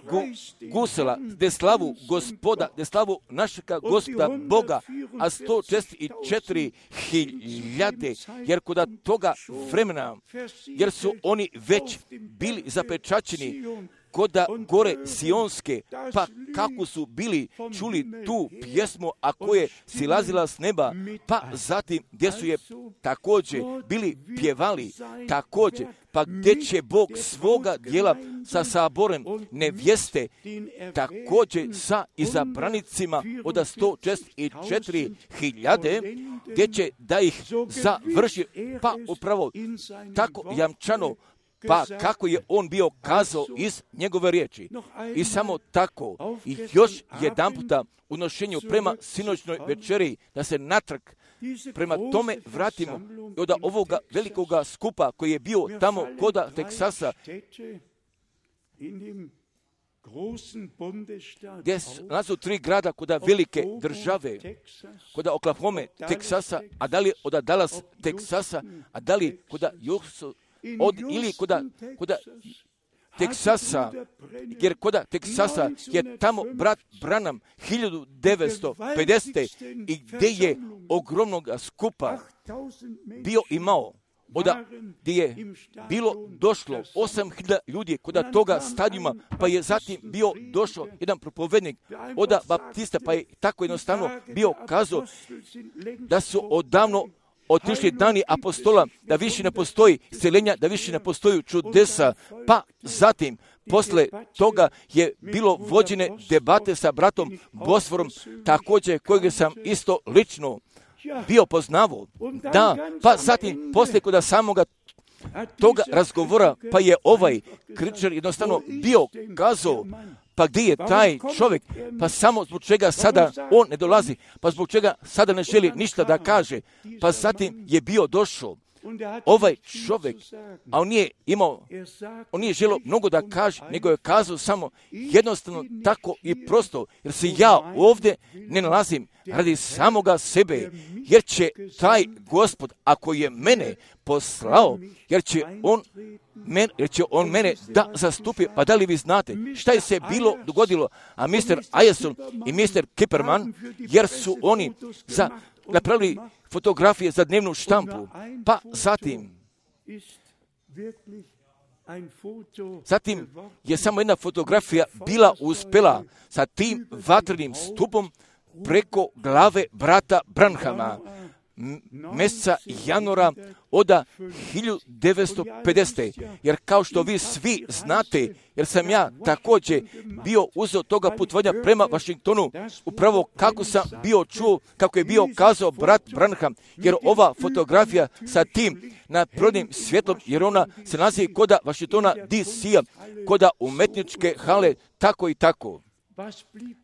gu, gusela, de slavu gospoda, de slavu našega gospoda Boga, a sto četrdeset četiri hiljade, jer kod toga vremena, jer su oni već bili zapečaćeni koda gore Sionske, pa kako su bili čuli tu pjesmu, a koje silazila s neba, pa zatim gdje su je također bili pjevali, također, pa gdje će Bog svoga dijela sa saborem nevjeste, također sa izabranicima od sto četrdeset četiri hiljade, gdje će da ih završi, pa upravo tako jamčano, pa kako je on bio kazao iz njegove riječi. I samo tako, i još jedan puta u nošenju prema sinoćnoj večeri, da se natrag prema tome vratimo od ovoga velikoga skupa koji je bio tamo koda Teksasa, gdje su tri grada koda velike države, koda Oklahoma, Teksasa, a da li od Dallas, Teksasa, a da li koda Houston, od, ili koda, koda Teksasa, jer koda Teksasa je tamo brat Branham hiljadu devetsto pedesete i gdje je ogromnog skupa bio imao, oda gdje je bilo došlo osam hiljada ljudi koda toga stadijuma, pa je zatim bio došao jedan propovednik oda Baptista, pa je tako jednostavno bio kazao da su odavno otišli dani apostola, da više ne postoji isceljenja, da više ne postoji čudesa, pa zatim posle toga je bilo vođene debate sa bratom Bosforom, također kojeg sam isto lično bio poznavao. Da, pa zatim posle koda samoga toga razgovora, pa je ovaj kričar jednostavno bio kazao, pa gdje je taj čovjek, pa samo zbog čega sada on ne dolazi, pa zbog čega sada ne želi ništa da kaže, pa zatim je bio došao ovaj čovjek, a on nije imao, on nije želio mnogo da kaže, nego je kazao samo jednostavno tako i prosto, jer se ja ovdje ne nalazim radi samoga sebe, jer će taj Gospod, ako je mene poslao, jer će on Men, jer će on mene da zastupi, pa da li vi znate šta je se bilo dogodilo, a mister Ajason i mister Kipperman, jer su oni za, napravili fotografije za dnevnu štampu, pa zatim zatim je samo jedna fotografija bila uspjela sa tim vatrenim stupom preko glave brata Branhama, mjeseca januara od hiljadu devetsto pedesete. Jer kao što vi svi znate, jer sam ja također bio uzeo toga putovanja prema Washingtonu, upravo kako sam bio čuo, kako je bio kazao brat Branham, jer ova fotografija sa tim nadprirodnim svjetlom, jer ona se nalazi koda Washingtona D C-a, koda umetničke hale, tako i tako.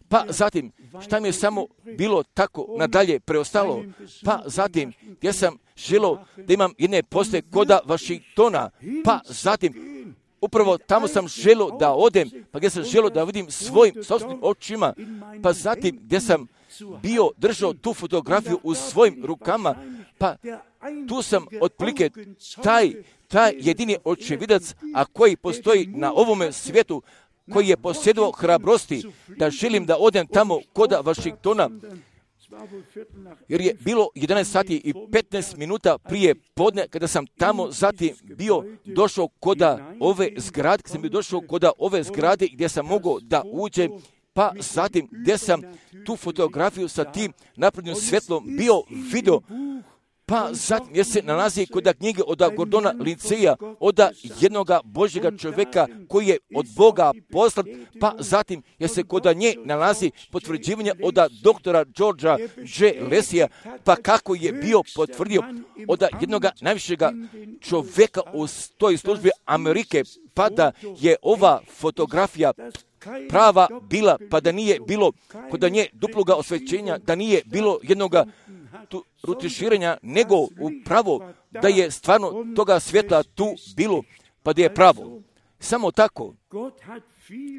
Pa zatim, šta mi je samo bilo tako nadalje preostalo, pa zatim, gdje sam želio da imam jedne poste koda Washingtona, pa zatim, upravo tamo sam želio da odem, pa gdje sam želio da vidim svojim sobstvenim očima, pa zatim gdje sam bio držao tu fotografiju u svojim rukama, pa tu sam otprilike taj, taj jedini očevidac, a koji postoji na ovome svijetu, koji je posjedovao hrabrosti da želim da odem tamo koda Washingtona, jer je bilo jedanaest sati i petnaest minuta prije podne kada sam tamo zatim bio došao koda ove zgrade, kada sam bio došao koda ove zgrade gdje sam mogao da uđem, pa zatim gdje sam tu fotografiju sa tim naprednim svjetlom bio video, pa zatim je se nalazi kod knjige od Gordona Linceja, od jednoga Božjega čovjeka koji je od Boga poslan, pa zatim je se kod nje nalazi potvrđivanje od doktora Georgea J. Lesija, pa kako je bio potvrdio od jednoga najvišega čovjeka u toj službi Amerike, pa da je ova fotografija prava bila, pa da nije bilo kod nje duploga osvećenja, da nije bilo jednoga tu rutiširanja, nego upravo da je stvarno toga svjetla tu bilo, pa da je pravo. Samo tako,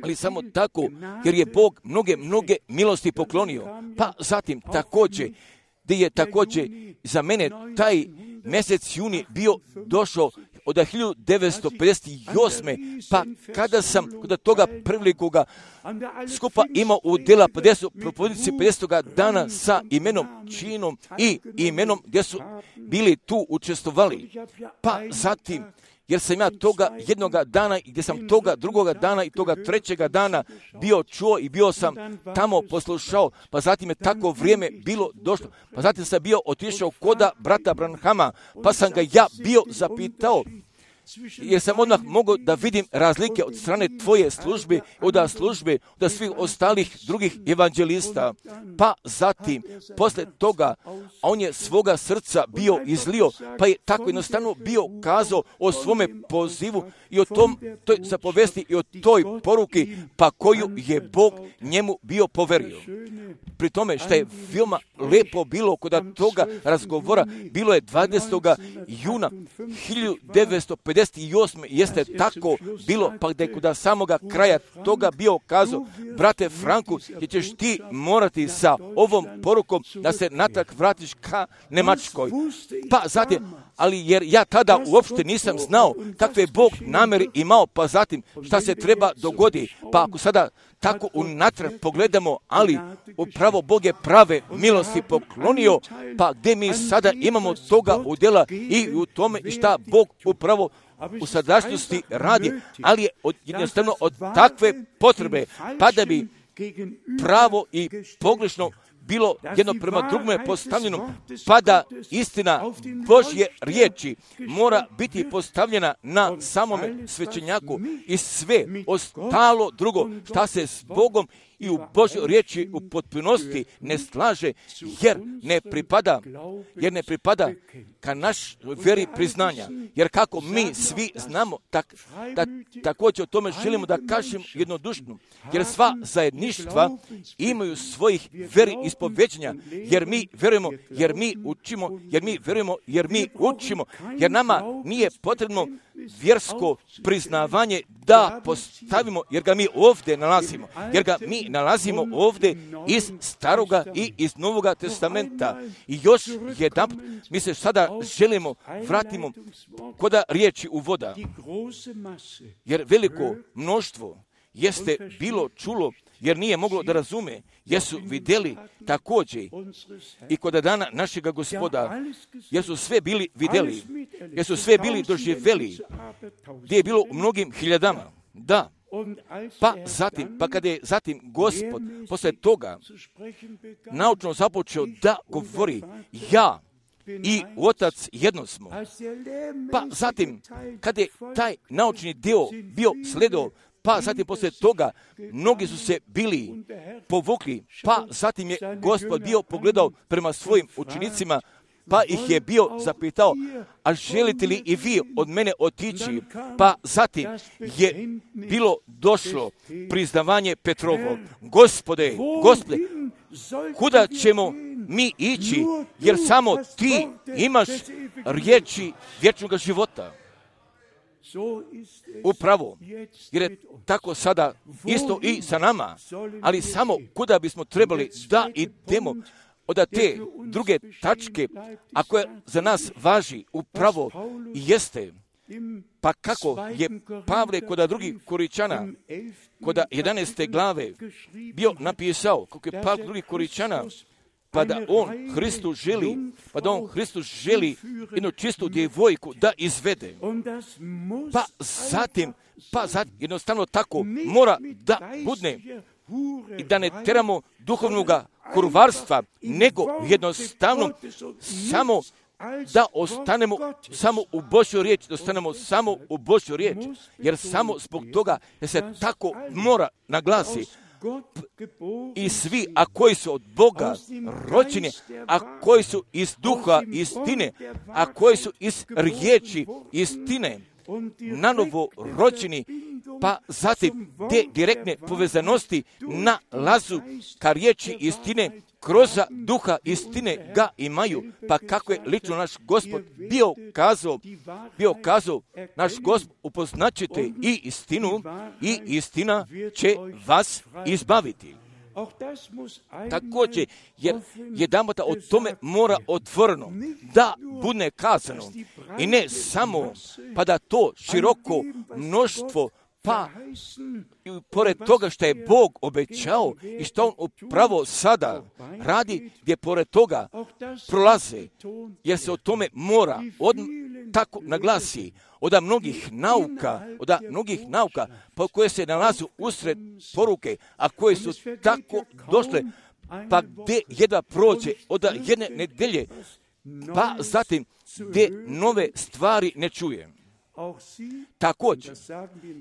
ali samo tako, jer je Bog mnoge, mnoge milosti poklonio. Pa zatim također, gdje je također za mene taj mjesec juni bio došao od hiljadu devetsto pedeset osme. Pa kada sam kod toga prvelikoga skupa imao u dela pedeset, propovednici pedesetoga dana sa imenom, činom i imenom gdje su bili tu učestvovali. Pa zatim jer sam ja toga jednoga dana, i gdje sam toga drugoga dana i toga trećega dana bio čuo i bio sam tamo poslušao, pa zatim je tako vrijeme bilo došlo, pa zatim sam bio otišao koda brata Branhama, pa sam ga ja bio zapitao, jer sam odmah mogao da vidim razlike od strane tvoje službe, od službe, od svih ostalih drugih evanđelista. Pa zatim, posle toga, on je svoga srca bio izlio, pa je tako jednostavno bio kazao o svome pozivu i o tom, toj zapovesti i o toj poruki, pa koju je Bog njemu bio poverio. Pri tome, što je veoma lepo bilo kod toga razgovora, bilo je dvadesetog juna hiljadu devetsto pedeset osme jeste tako bilo, pa gdje kod samoga kraja toga bio kazao, brate Franku, gdje ćeš ti morati sa ovom porukom da se natrag vratiš ka Njemačkoj. Pa zatim, ali jer ja tada uopšte nisam znao kakve Bog namjeri imao, pa zatim šta se treba dogodi, pa ako sada tako unatrag pogledamo, ali upravo Bog je prave milosti poklonio, pa gdje mi sada imamo toga udjela i u tome i šta Bog upravo u sadašnjosti radi, ali je od, jednostavno od takve potrebe, pa da bi pravo i pogrešno bilo jedno prema drugome postavljeno, pa da istina Božje riječi mora biti postavljena na samome svećenjaku i sve ostalo drugo šta se s Bogom i u Božjoj riječi u potpunosti ne slaže, jer ne pripada, jer ne pripada ka naš vjeri priznanja. Jer kako mi svi znamo, tak, da, također o tome želimo da kažemo jednodušno, jer sva zajedništva imaju svojih vjeri ispoveđenja, jer mi vjerujemo, jer mi učimo, jer mi vjerujemo, jer mi učimo, jer nama nije potrebno vjersko priznavanje da postavimo, jer ga mi ovdje nalazimo, jer ga mi nalazimo ovdje iz Staroga i iz Novoga testamenta. I još jedan, mi se sada želimo vratimo koda riječi u voda, jer veliko mnoštvo jeste bilo čulo, jer nije moglo da razume, jesu vidjeli također i kod dana našega Gospoda, jesu sve bili vidjeli, jesu sve bili doživjeli, gdje je bilo u mnogim hiljadama. Da, pa zatim, pa kada je zatim Gospod posle toga naučno započeo da govori, ja i Otac jedno smo. Pa zatim, kada je taj naučni dio bio sledao, pa zatim poslije toga mnogi su se bili povukli, pa zatim je Gospod bio pogledao prema svojim učenicima, pa ih je bio zapitao, a želite li i vi od mene otići? Pa zatim je bilo došlo priznavanje Petrovo. Gospode, Gospode, kuda ćemo mi ići, jer samo ti imaš riječi vječnog života. Upravo, jer je tako sada isto i sa nama, ali samo kuda bismo trebali da idemo od te druge tačke, a koja za nas važi upravo jeste, pa kako je Pavle kod drugih Koričana, kod jedanaeste glave bio napisao, kako je Pavle drugih Koričana, pa da on Hristu želi, pa da on Hristu želi jednu čistu djevojku da izvede. Pa zatim, pa zatim, jednostavno tako mora da budne i da ne teramo duhovnoga kurvarstva, nego jednostavno samo da ostanemo samo u Božjoj riječi, da ostanemo samo u Božjoj riječi, jer samo zbog toga da se tako mora naglasi. I svi, a koji su od Boga rođeni, a koji su iz duha istine, a koji su iz riječi istine, nanovo rođeni, pa zatim te direktne povezanosti na lazu ka riječi istine, kroz duha istine ga imaju, pa kako je lično naš Gospod bio kazao, bio kazao, naš Gospod upoznaćete i istinu i istina će vas izbaviti. Također, jer jedanputa o tome mora otvoreno da bude kazano i ne samo pa da to široko mnoštvo, pa i pored toga što je Bog obećao i što on upravo sada radi, gdje pored toga prolaze, jer se o tome mora od, tako naglasi, od mnogih nauka, od mnogih nauka po koje se nalazu usred poruke, a koje su tako došle, pa gdje jedva prođe od jedne nedelje, pa zatim gdje nove stvari ne čuje. Također,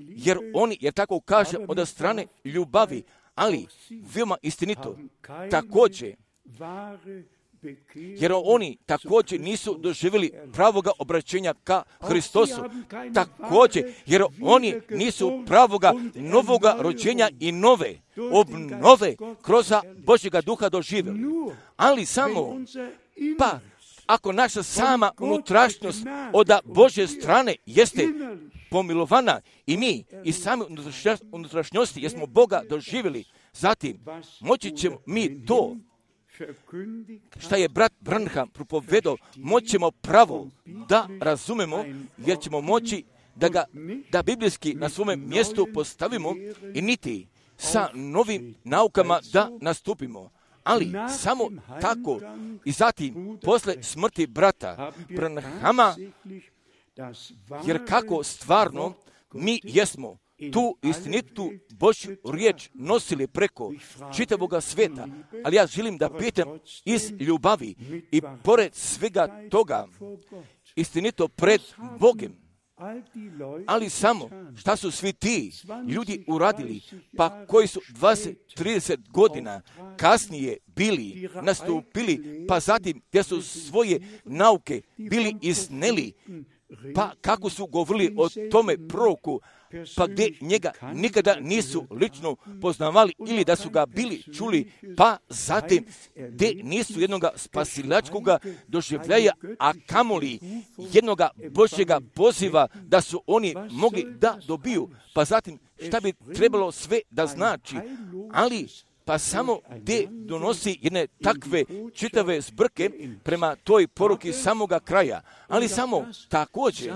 jer oni, jer tako kaže, od strane ljubavi, ali veoma istinito, također, jer oni također nisu doživjeli pravoga obraćenja ka Hristosu, također, jer oni nisu pravoga novoga rođenja i nove obnove kroz Božjega duha doživjeli. Ali samo, pa, ako naša sama unutrašnjost od Božje strane jeste pomilovana i mi i same unutrašnjosti jesmo Boga doživjeli, zatim moći ćemo mi to šta je brat Branham propovedao, moćemo pravo da razumemo, jer ćemo moći da ga, da biblijski na svome mjestu postavimo i niti sa novim naukama da nastupimo. Ali samo tako i zatim posle smrti brata Branhama, jer kako stvarno mi jesmo tu istinitu Božju riječ nosili preko čitavoga sveta, ali ja želim da pitam iz ljubavi i pored svega toga istinito pred Bogem. Ali samo šta su svi ti ljudi uradili, pa koji su dvadeset trideset godina kasnije bili nastupili, pa zatim gdje su svoje nauke bili izneli, pa kako su govorili o tome proroku, pa gdje njega nikada nisu lično poznavali ili da su ga bili čuli, pa zatim gdje nisu jednoga spasilačkoga doživljaja, a kamoli jednoga Božjega poziva da su oni mogli da dobiju, pa zatim šta bi trebalo sve da znači, ali pa samo gdje donosi jedne takve čitave zbrke prema toj poruki samoga kraja, ali samo također,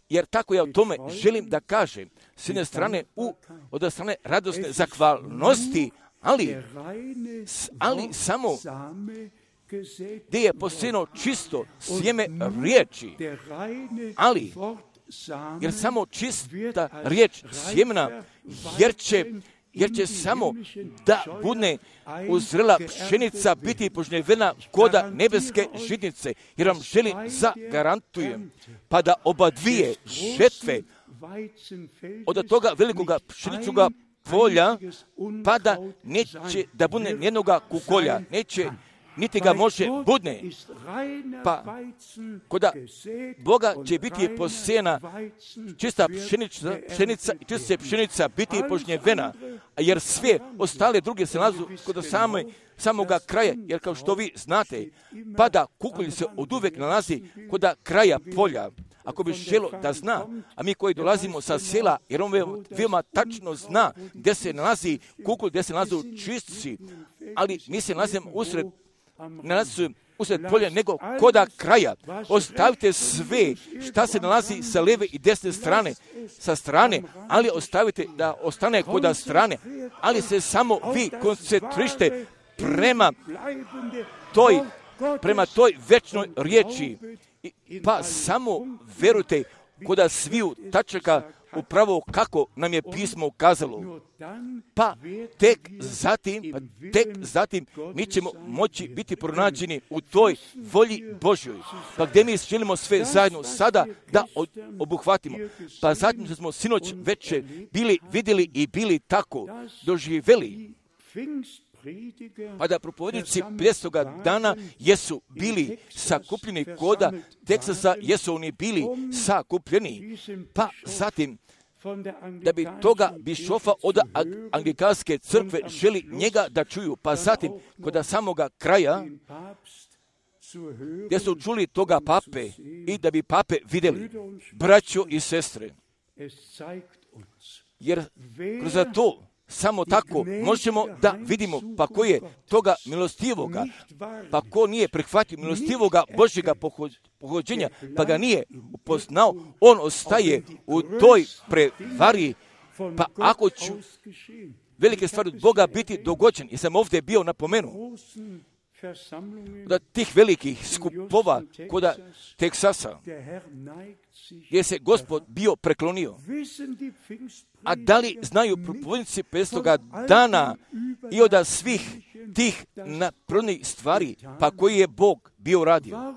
jer tako ja o tome želim da kažem, s jedne strane u, od strane radosne zahvalnosti, ali, ali samo gdje je posijeno čisto sjeme riječi, ali jer samo čista riječ sjemena, jer će jer će samo da bude uzrela pšenica biti požnjevena koda nebeske žitnice, jer vam želim zagarantujem, pa da oba dvije žetve od toga velikoga pšeničnoga polja, pa da neće da bude jednoga kukolja, neće niti ga može budne, pa koda Boga će biti posijena čista pšenica, pšenica i čista pšenica biti požnjevena, jer sve ostale druge se nalazu kod same, samoga kraja, jer kao što vi znate, pa da kukolj se od uvek nalazi kod kraja polja. Ako bi želo da zna, a mi koji dolazimo sa sela, jer on veoma tačno zna gdje se nalazi kukolj, gdje se nalazi čistci, ali mi se nalazimo usred nalazi usred polja nego koda kraja. Ostavite sve šta se nalazi sa lijeve i desne strane, sa strane, ali ostavite da ostane koda strane, ali se samo vi koncentrište prema toj, prema toj večnoj riječi, pa samo verujte koda sviju tačaka upravo kako nam je pismo ukazalo. Pa tek zatim, pa tek zatim mi ćemo moći biti pronađeni u toj volji Božjoj. Pa gdje mi želimo sve zajedno sada da obuhvatimo. Pa zatim što smo sinoć večer bili vidjeli i bili tako doživjeli. Pa da propovednici pljestoga dana jesu bili sakupljeni koda Teksasa, jesu oni bili sakupljeni, pa zatim da bi toga bišofa od anglikanske crkve želi njega da čuju, pa zatim kod samoga kraja gdje su čuli toga pape i da bi pape vidjeli, braćo i sestre, jer kroz to samo tako možemo da vidimo pa ko je toga milostivoga, pa ko nije prihvatio milostivoga Božjega pohođenja, pa ga nije upoznao, on ostaje u toj prevari. Pa ako ću velike stvari od Boga biti dogođen, jer sam ovdje bio napomenuo, da tih velikih skupova koda Teksasa, gdje se Gospod bio preklonio. A da li znaju propovednici petstoga dana i od svih tih naprednih stvari, pa koji je Bog bio radio?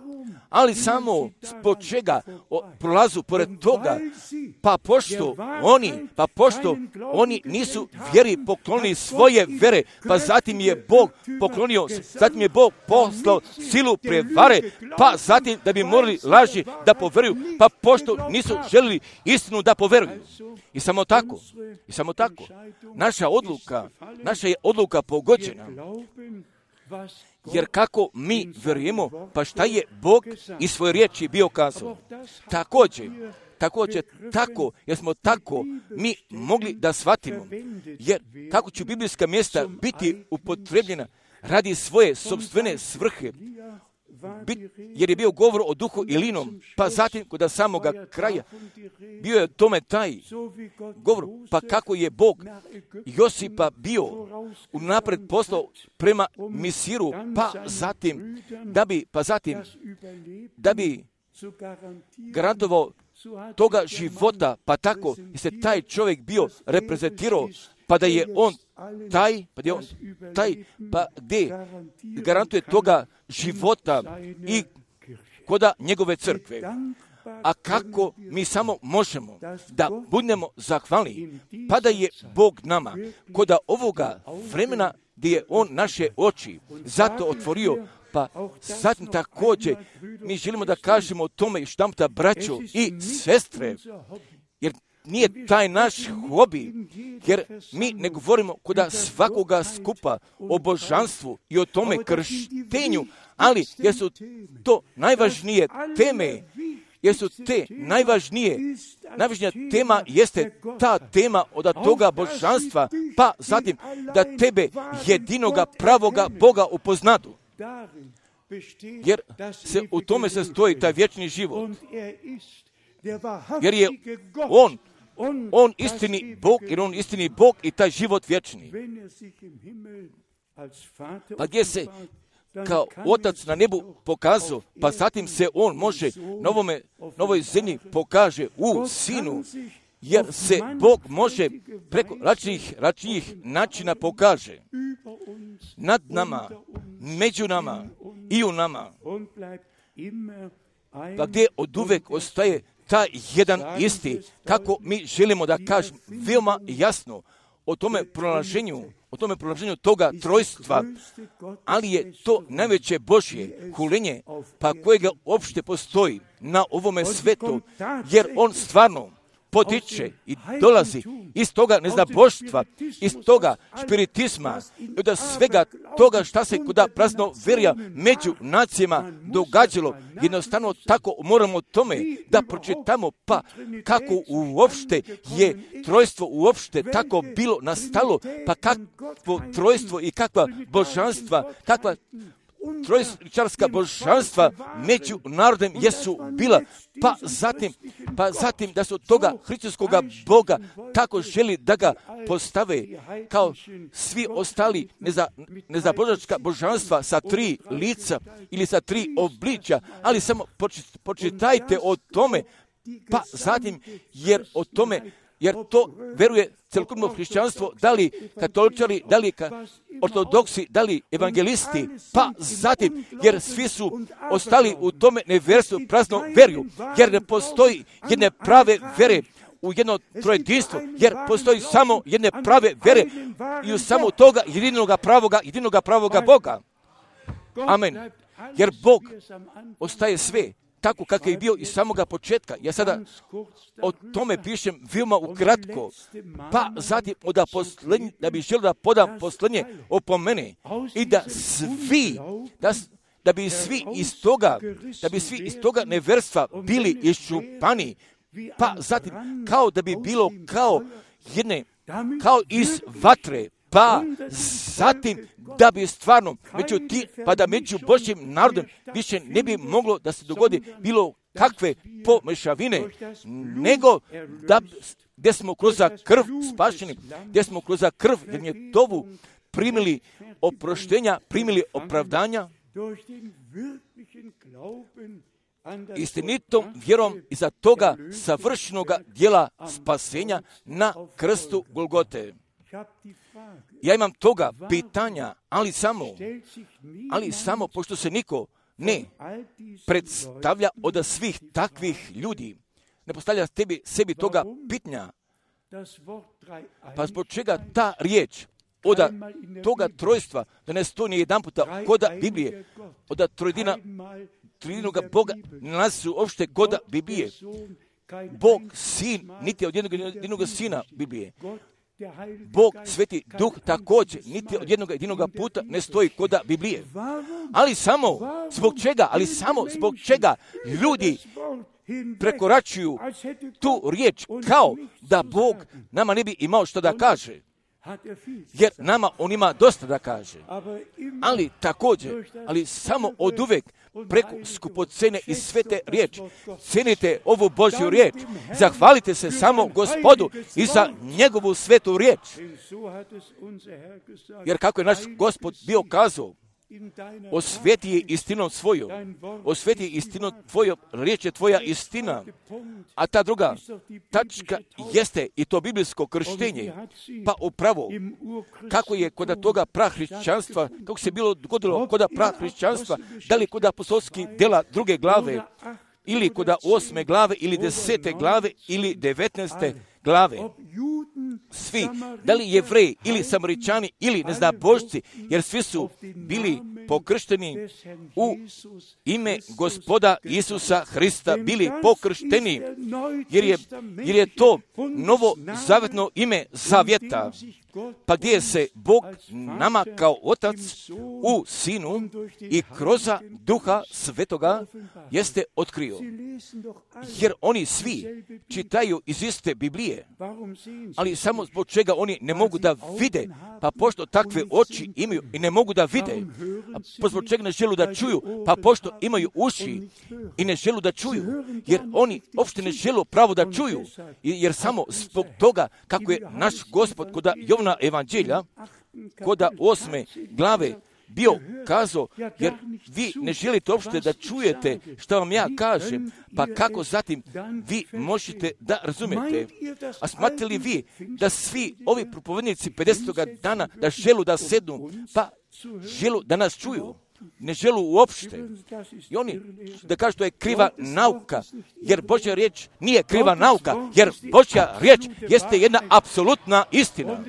Ali samo zbog čega prolazu pored toga, pa pošto oni, pa pošto oni nisu vjeri poklonili svoje vere, pa zatim je Bog poklonio, zatim je Bog poslao silu prevare, pa zatim da bi morali laži da poveruju, pa pošto nisu želili istinu da poveruju. I samo tako, i samo tako, naša odluka, naša je odluka pogođena. Jer kako mi vjerujemo, pa šta je Bog iz svoje riječi bio kazao? Također, također tako, jer smo tako mi mogli da shvatimo, jer kako će biblijska mjesta biti upotrebljena radi svoje sopstvene svrhe, bit, jer je bio govor o duhu i linom, pa zatim kod samoga kraja bio je tome taj govor, pa kako je Bog Josipa bio unapred poslao prema Misiru, pa zatim da bi, pa zatim da bi garantovao toga života, pa tako i se taj čovjek bio reprezentirao, pa da je on taj, pa da je on taj, pa gdje garantuje toga života i koda njegove crkve. A kako mi samo možemo da budemo zahvalni, pa da je Bog nama koda ovoga vremena gdje je on naše oči zato otvorio, pa zatim također mi želimo da kažemo o tome i štamta braćo i sestre, jer nije taj naš hobi, jer mi ne govorimo koda svakoga skupa o božanstvu i o tome krštenju, ali jer su to najvažnije teme, jer su te najvažnije, najvažnija tema jeste ta tema od toga božanstva, pa zatim da tebe jedinoga pravoga Boga upoznadu. Jer se u tome sastoji taj vječni život. Jer je on, on istini Bog, jer on istini Bog i taj život vječni. Pa gdje se kao Otac na nebu pokazao, pa zatim se on može na ovome, novoj zemlji pokaže u Sinu, jer se Bog može preko različitih, različitih načina pokaže nad nama, među nama i u nama. Pa gdje od uvek ostaje taj jedan isti, kako mi želimo da kažemo veoma jasno o tome pronalaženju, o tome pronalaženju toga trojstva, ali je to najveće Božje hulenje, pa kojega uopšte postoji na ovome svetu, jer on stvarno potiče i dolazi iz toga neznaboštva, iz toga spiritizma i od svega toga šta se kuda prazno verja među nacijama događalo. Jednostavno tako moramo tome da pročitamo, pa kako uopšte je trojstvo uopšte tako bilo nastalo, pa kakvo trojstvo i kakva božanstva, kakva trojčarska božanstva među narodem jesu bila, pa zatim, pa zatim da su toga hrišćanskoga Boga tako želi da ga postave kao svi ostali neza, nezabožačka božanstva sa tri lica ili sa tri obličja, ali samo počitajte o tome, pa zatim jer o tome, jer to veruje celokupno hrišćanstvo, da li katoličari, da li ka, ortodoksi, da li evangelisti, pa zatim, jer svi su ostali u tome nevjerstvu, prazno verju, jer ne postoji jedne prave vere u jedno trojedinstvo, jer postoji samo jedne prave vere i u samo toga jedinoga pravoga, jedinoga pravoga Boga. Amen. Jer Bog ostaje sve tako kako je bio iz samoga početka. Ja sada o tome pišem veoma ukratko, pa zatim da, poslednji, da bi želio da podam posljednje opomene i da svi, da, da bi svi iz toga, da bi svi iz toga neverstva bili iščupani, pa zatim kao da bi bilo kao jedne, kao iz vatre, pa zatim da bi stvarno među ti, pa da među Božjim narodom više ne bi moglo da se dogodi bilo kakve pomešavine, nego da gdje smo kroz krv spašeni, gdje smo kroz krv Gnjetovu primili oproštenja, primili opravdanja, istinitom vjerom iza toga savršenog dijela spasenja na krstu Golgote. Ja imam toga pitanja, ali samo, ali samo, pošto se niko ne predstavlja od svih takvih ljudi, ne postavlja tebi, sebi toga pitanja, pa zbog čega ta riječ od toga trojstva, da ne stoji jedan puta koda Biblije, od trojedina, trojedinoga Boga, ne nalazi se uopšte koda Biblije. Bog, Sin, niti od jednog jedinog Sina Biblije. Bog, Sveti Duh, također, niti od jednog jedinog puta ne stoji koda Biblije. Ali samo, zbog čega, ali samo zbog čega ljudi prekoračuju tu riječ kao da Bog nama ne bi imao što da kaže. Jer nama on ima dosta da kaže. Ali također, ali samo od uvek preko skupocene i svete riječi. Cenite ovu Božju riječ. Zahvalite se samo Gospodu i za njegovu svetu riječ. Jer kako je naš Gospod bio kazao, osveti je istinom svoju, osveti je istinom tvoju, riječ je tvoja istina. A ta druga tačka jeste i to biblijsko krštenje. Pa upravo, kako je kod toga prahrišćanstva, kako se bilo dogodilo kod prahrišćanstva, da li kod apostolskih dela druge glave, ili kod osme glave, ili desete glave, ili devetnaeste glave. Svi, da li Jevreji, ili Samaričani, ili ne zna Božci, jer svi su bili pokršteni u ime Gospoda Isusa Hrista, bili pokršteni, jer je, jer je to novo zavetno ime zavjeta, pa gdje se Bog nama kao Otac u Sinu i kroz Duha Svetoga jeste otkrio. Jer oni svi čitaju iz iste Biblije, ali samo zbog čega oni ne mogu da vide, pa pošto takve oči imaju i ne mogu da vide, a zbog čega ne želu da čuju, pa pošto imaju uši i ne želu da čuju, jer oni uopšte ne želu pravo da čuju, jer samo zbog toga kako je naš Gospod kod Jovana evanđelja, kod osme glave bio kazao, jer vi ne želite uopšte da čujete što vam ja kažem, pa kako zatim vi možete da razumete? A smatrate li vi da svi ovi propovednici pedesetog dana da želu da sednu, pa želu da nas čuju? Ne želu uopšte. I oni da kažu to je kriva nauka, jer Božja riječ nije kriva nauka, jer Božja riječ jeste jedna apsolutna istina.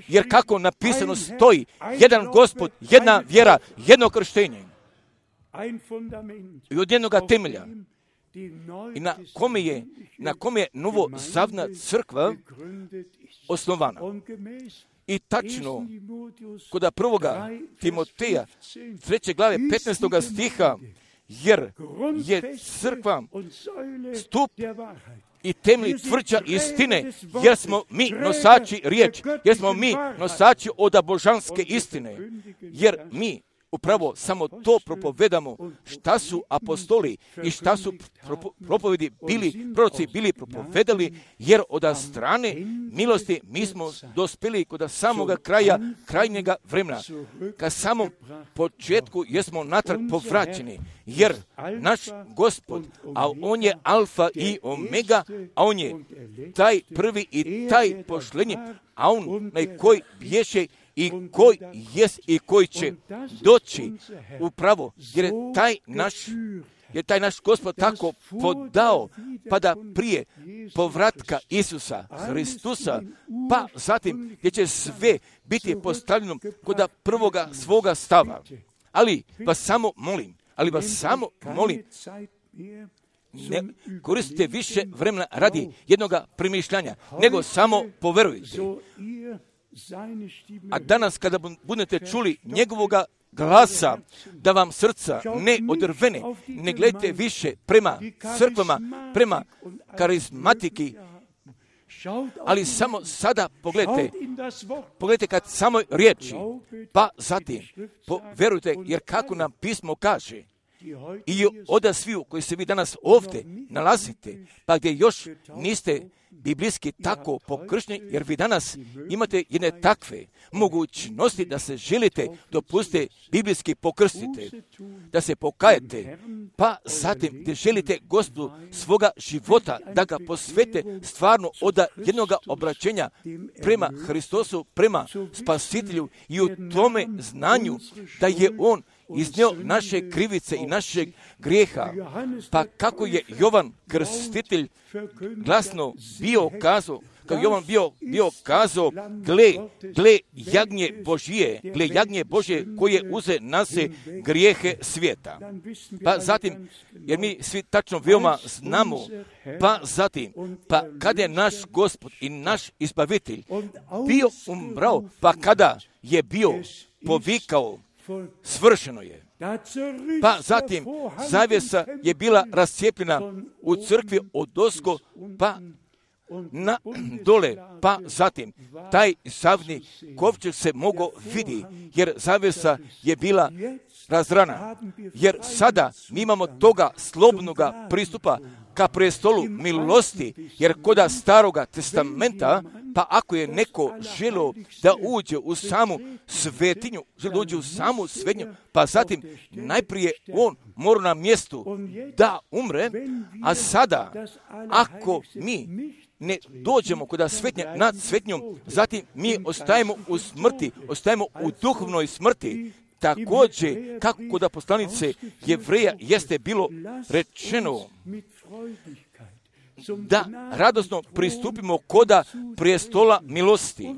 Jer kako napisano stoji, jedan Gospod, jedna vjera, jedno krštenje. I od jednoga temelja. I na kome je, na kome je novozavna crkva osnovana. I tačno, kod prvoga Timoteja, treće glave, petnaestoga stiha, jer je crkva stup i temelj tvrđa istine, jer smo mi nosači riječi, jer smo mi nosači od božanske istine, jer mi upravo samo to propovedamo, šta su apostoli i šta su propo, propovedi bili, proroci bili propovedali, jer od strane milosti mi smo dospjeli kod samoga kraja, krajnjega vremena. Ka samom početku jesmo natrag povraćeni, jer naš Gospod, a on je alfa i omega, a on je taj prvi i taj pošlenji, a on na koji bješe i koji jest i koji će doći upravo, jer je taj naš, jer taj naš Gospod tako podao, pa da prije povratka Isusa Hristusa, pa zatim gdje će sve biti postavljeno kod prvoga svoga stava. Ali vas samo molim, ali vas samo molim, ne koristite više vremena radi jednoga premišljanja, nego samo poverujte. A danas kada budete čuli njegovoga glasa, da vam srca ne odrvene, ne gledajte više prema crkvama, prema karizmatiki, ali samo sada pogledajte, pogledajte kad samo riječi, pa zatim poverujte, jer kako nam pismo kaže, i od sviju koji se vi danas ovdje nalazite, pa gdje još niste biblijski tako pokršteni, jer vi danas imate jedne takve mogućnosti da se želite dopustiti biblijski pokrstite, da se pokajete, pa zatim da želite Gospodu svoga života, da ga posvete stvarno od jednoga obraćenja prema Hristosu, prema Spasitelju i u tome znanju da je On iznio naše krivice i našeg grijeha. Pa kako je Jovan Krstitelj glasno bio kazao, kako Jovan bio, bio kazao, gle, gle jagnje Božije, gle jagnje Božje koje uze na se grijehe svijeta. Pa zatim, jer mi svi tačno veoma znamo, pa zatim, pa kada je naš Gospod i naš Izbavitelj bio umrao, pa kada je bio povikao, svršeno je. Pa zatim, zavjesa je bila rascijepljena u crkvi odozgo, pa na dole, pa zatim, taj zavni kovčeg se mogao vidi, jer zavjesa je bila razrana. Jer sada mi imamo toga slobodnoga pristupa ka prestolu milosti, jer koda staroga testamenta, pa ako je neko želio da uđe u samu svetinju, želio da uđe u samu svetinju, pa zatim najprije on mora na mjestu da umre, a sada ako mi ne dođemo kod svetnje nad svetnjom, zatim mi ostajemo u smrti, ostajemo u duhovnoj smrti. Također, kako kod poslanice Jevreja jeste bilo rečeno da radosno pristupimo koda prijestola milosti,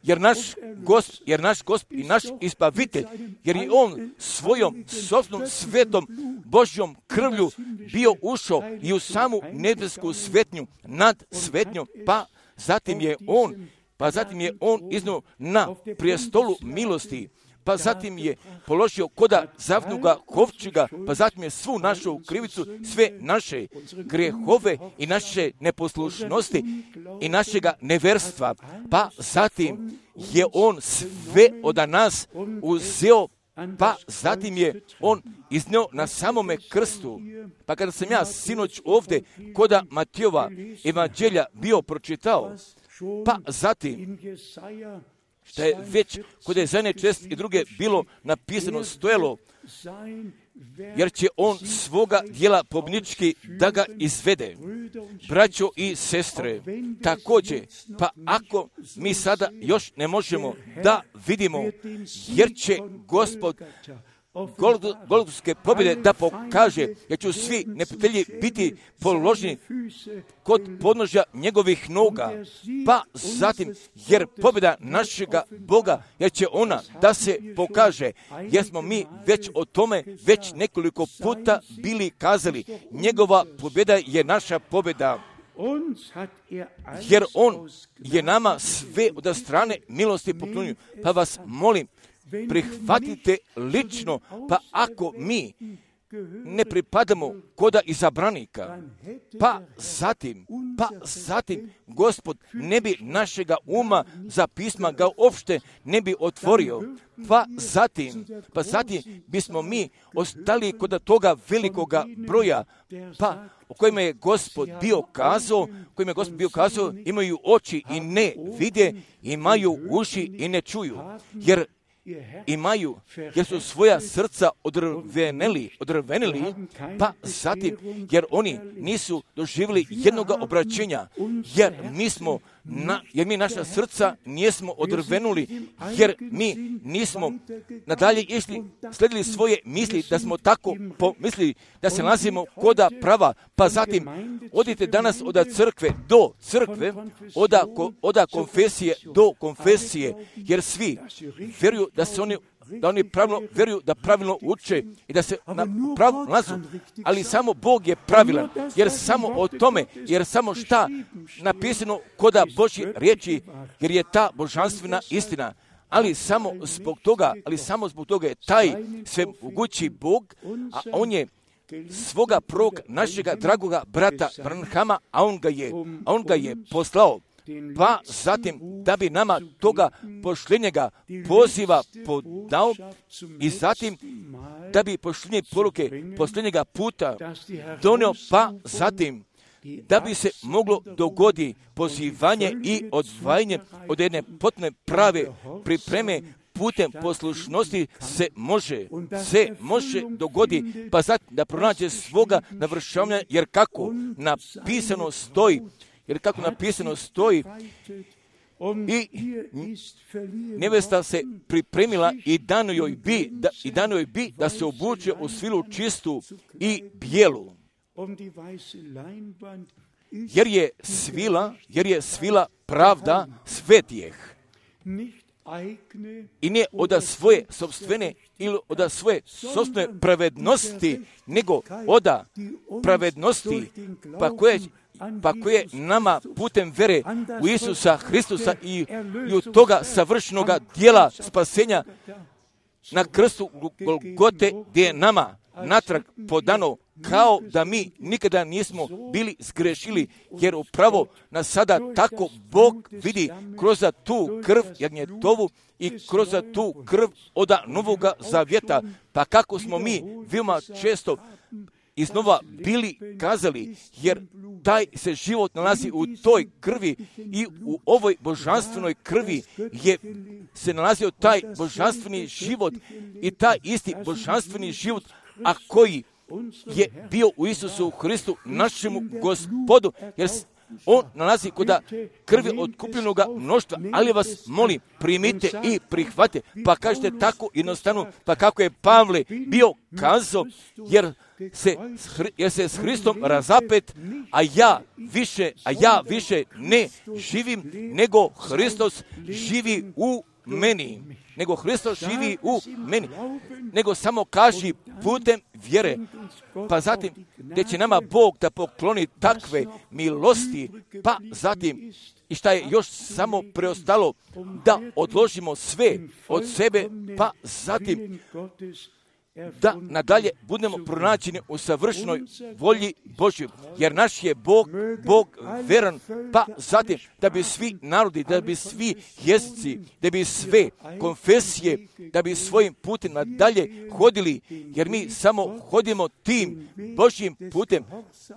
jer naš Gospod, jer naš Gospod i naš Izbavitelj, jer je On svojom sopstvenom svetom Božjom krvlju bio ušao i u samu nebesku svetnju nad svetnjom, pa zatim je On, pa zatim je On iznio na prijestolu milosti, pa zatim je položio koda zavnoga kovčega, pa zatim je svu našu krivicu, sve naše grehove i naše neposlušnosti i našega neverstva, pa zatim je On sve od nas uzeo, pa zatim je On iznio na samome krstu. Pa kada sam ja sinoć ovdje koda Matijova evanđelja bio pročitao, pa zatim što je već kod Ezaije čest i druge bilo napisano stojalo, jer će On svoga djela pobnički da ga izvede. Braćo i sestre, također, pa ako mi sada još ne možemo da vidimo, jer će Gospod Golgotske pobjede da pokaže, jer će svi neprijatelji biti položeni kod podnožja njegovih noga, pa zatim, jer pobjeda našega Boga, jer će ona da se pokaže, jer smo mi već o tome već nekoliko puta bili kazali, njegova pobjeda je naša pobjeda. Jer On je nama sve od strane milosti poklonio, pa vas molim, prihvatite lično, pa ako mi ne pripadamo koda izabranika, pa zatim, pa zatim Gospod ne bi našega uma za pisma ga uopšte ne bi otvorio, pa zatim, pa zatim bismo mi ostali kod toga velikoga broja, pa o kojima je Gospod bio kazao, kojima je Gospod bio kazao, imaju oči i ne vide, imaju uši i ne čuju, jer imaju, jer su svoja srca odrveneli, odrveneli, pa zatim, jer oni nisu doživjeli jednoga obraćenja, jer mi smo, na, jer mi naša srca nijesmo odrvenuli, jer mi nismo nadalje išli, sledili svoje misli, da smo tako pomislili, da se nalazimo koda prava, pa zatim, odite danas od crkve do crkve, od, od konfesije do konfesije, jer svi vjeruju da se oni da oni pravilno vjeruju, da pravilno uče i da se na pravu nalazu, ali samo Bog je pravilan, jer samo o tome, jer samo šta napisano koda Božje riječi, jer je ta božanstvena istina, ali samo zbog toga, ali samo zbog toga je taj svemogući Bog, a On je svoga prvog našega dragoga brata Branhama, a on ga je, a on ga je poslao, pa zatim da bi nama toga pošljenjega poziva podao i zatim da bi pošljenje poruke posljednjega puta donio, pa zatim da bi se moglo dogodi pozivanje i odvajanje od jedne potpune prave pripreme putem poslušnosti se može, se može dogodi, pa sad da pronađe svoga navršavanja, jer kako napisano stoji, jer kako napisano stoji, i nevesta se pripremila i dano joj bi, da, i dano joj bi da se obuče u svilu čistu i bijelu. Jer je svila, jer je svila pravda svetijeh. I ne od svoje sopstvene ili od svoje sopstvene pravednosti, nego od pravednosti, pa koje pa koje nama putem vere u Isusa Hristusa i, i od toga savršenoga dijela spasenja na krstu Golgote, gdje je nama natrag podano kao da mi nikada nismo bili zgrešili, jer upravo nas sada tako Bog vidi kroz tu krv jagnjetovu i kroz tu krv od Novoga Zavjeta. Pa kako smo mi veoma često iznova bili kazali, jer taj se život nalazi u toj krvi i u ovoj božanstvenoj krvi je se nalazio taj božanstveni život i taj isti božanstveni život, a koji je bio u Isusu Hristu, našemu Gospodu, jer on nalazi kod krvi otkupljenoga mnoštva, ali vas molim, primite i prihvate, pa kažete tako jednostavno, pa kako je Pavle bio kazao, jer se, jer se s Hristom razapet, a ja više, a ja više ne živim, nego Hristos živi u meni. Nego Hristos živi u meni. Nego samo kaži putem vjere. Pa zatim, gdje će nama Bog da pokloni takve milosti, pa zatim, i šta je još samo preostalo, da odložimo sve od sebe, pa zatim, da nadalje budemo pronađeni u savršnoj volji Božjoj, jer naš je Bog, Bog veran, pa zatim da bi svi narodi, da bi svi jezici, da bi sve konfesije, da bi svojim putem nadalje hodili, jer mi samo hodimo tim Božjim putem,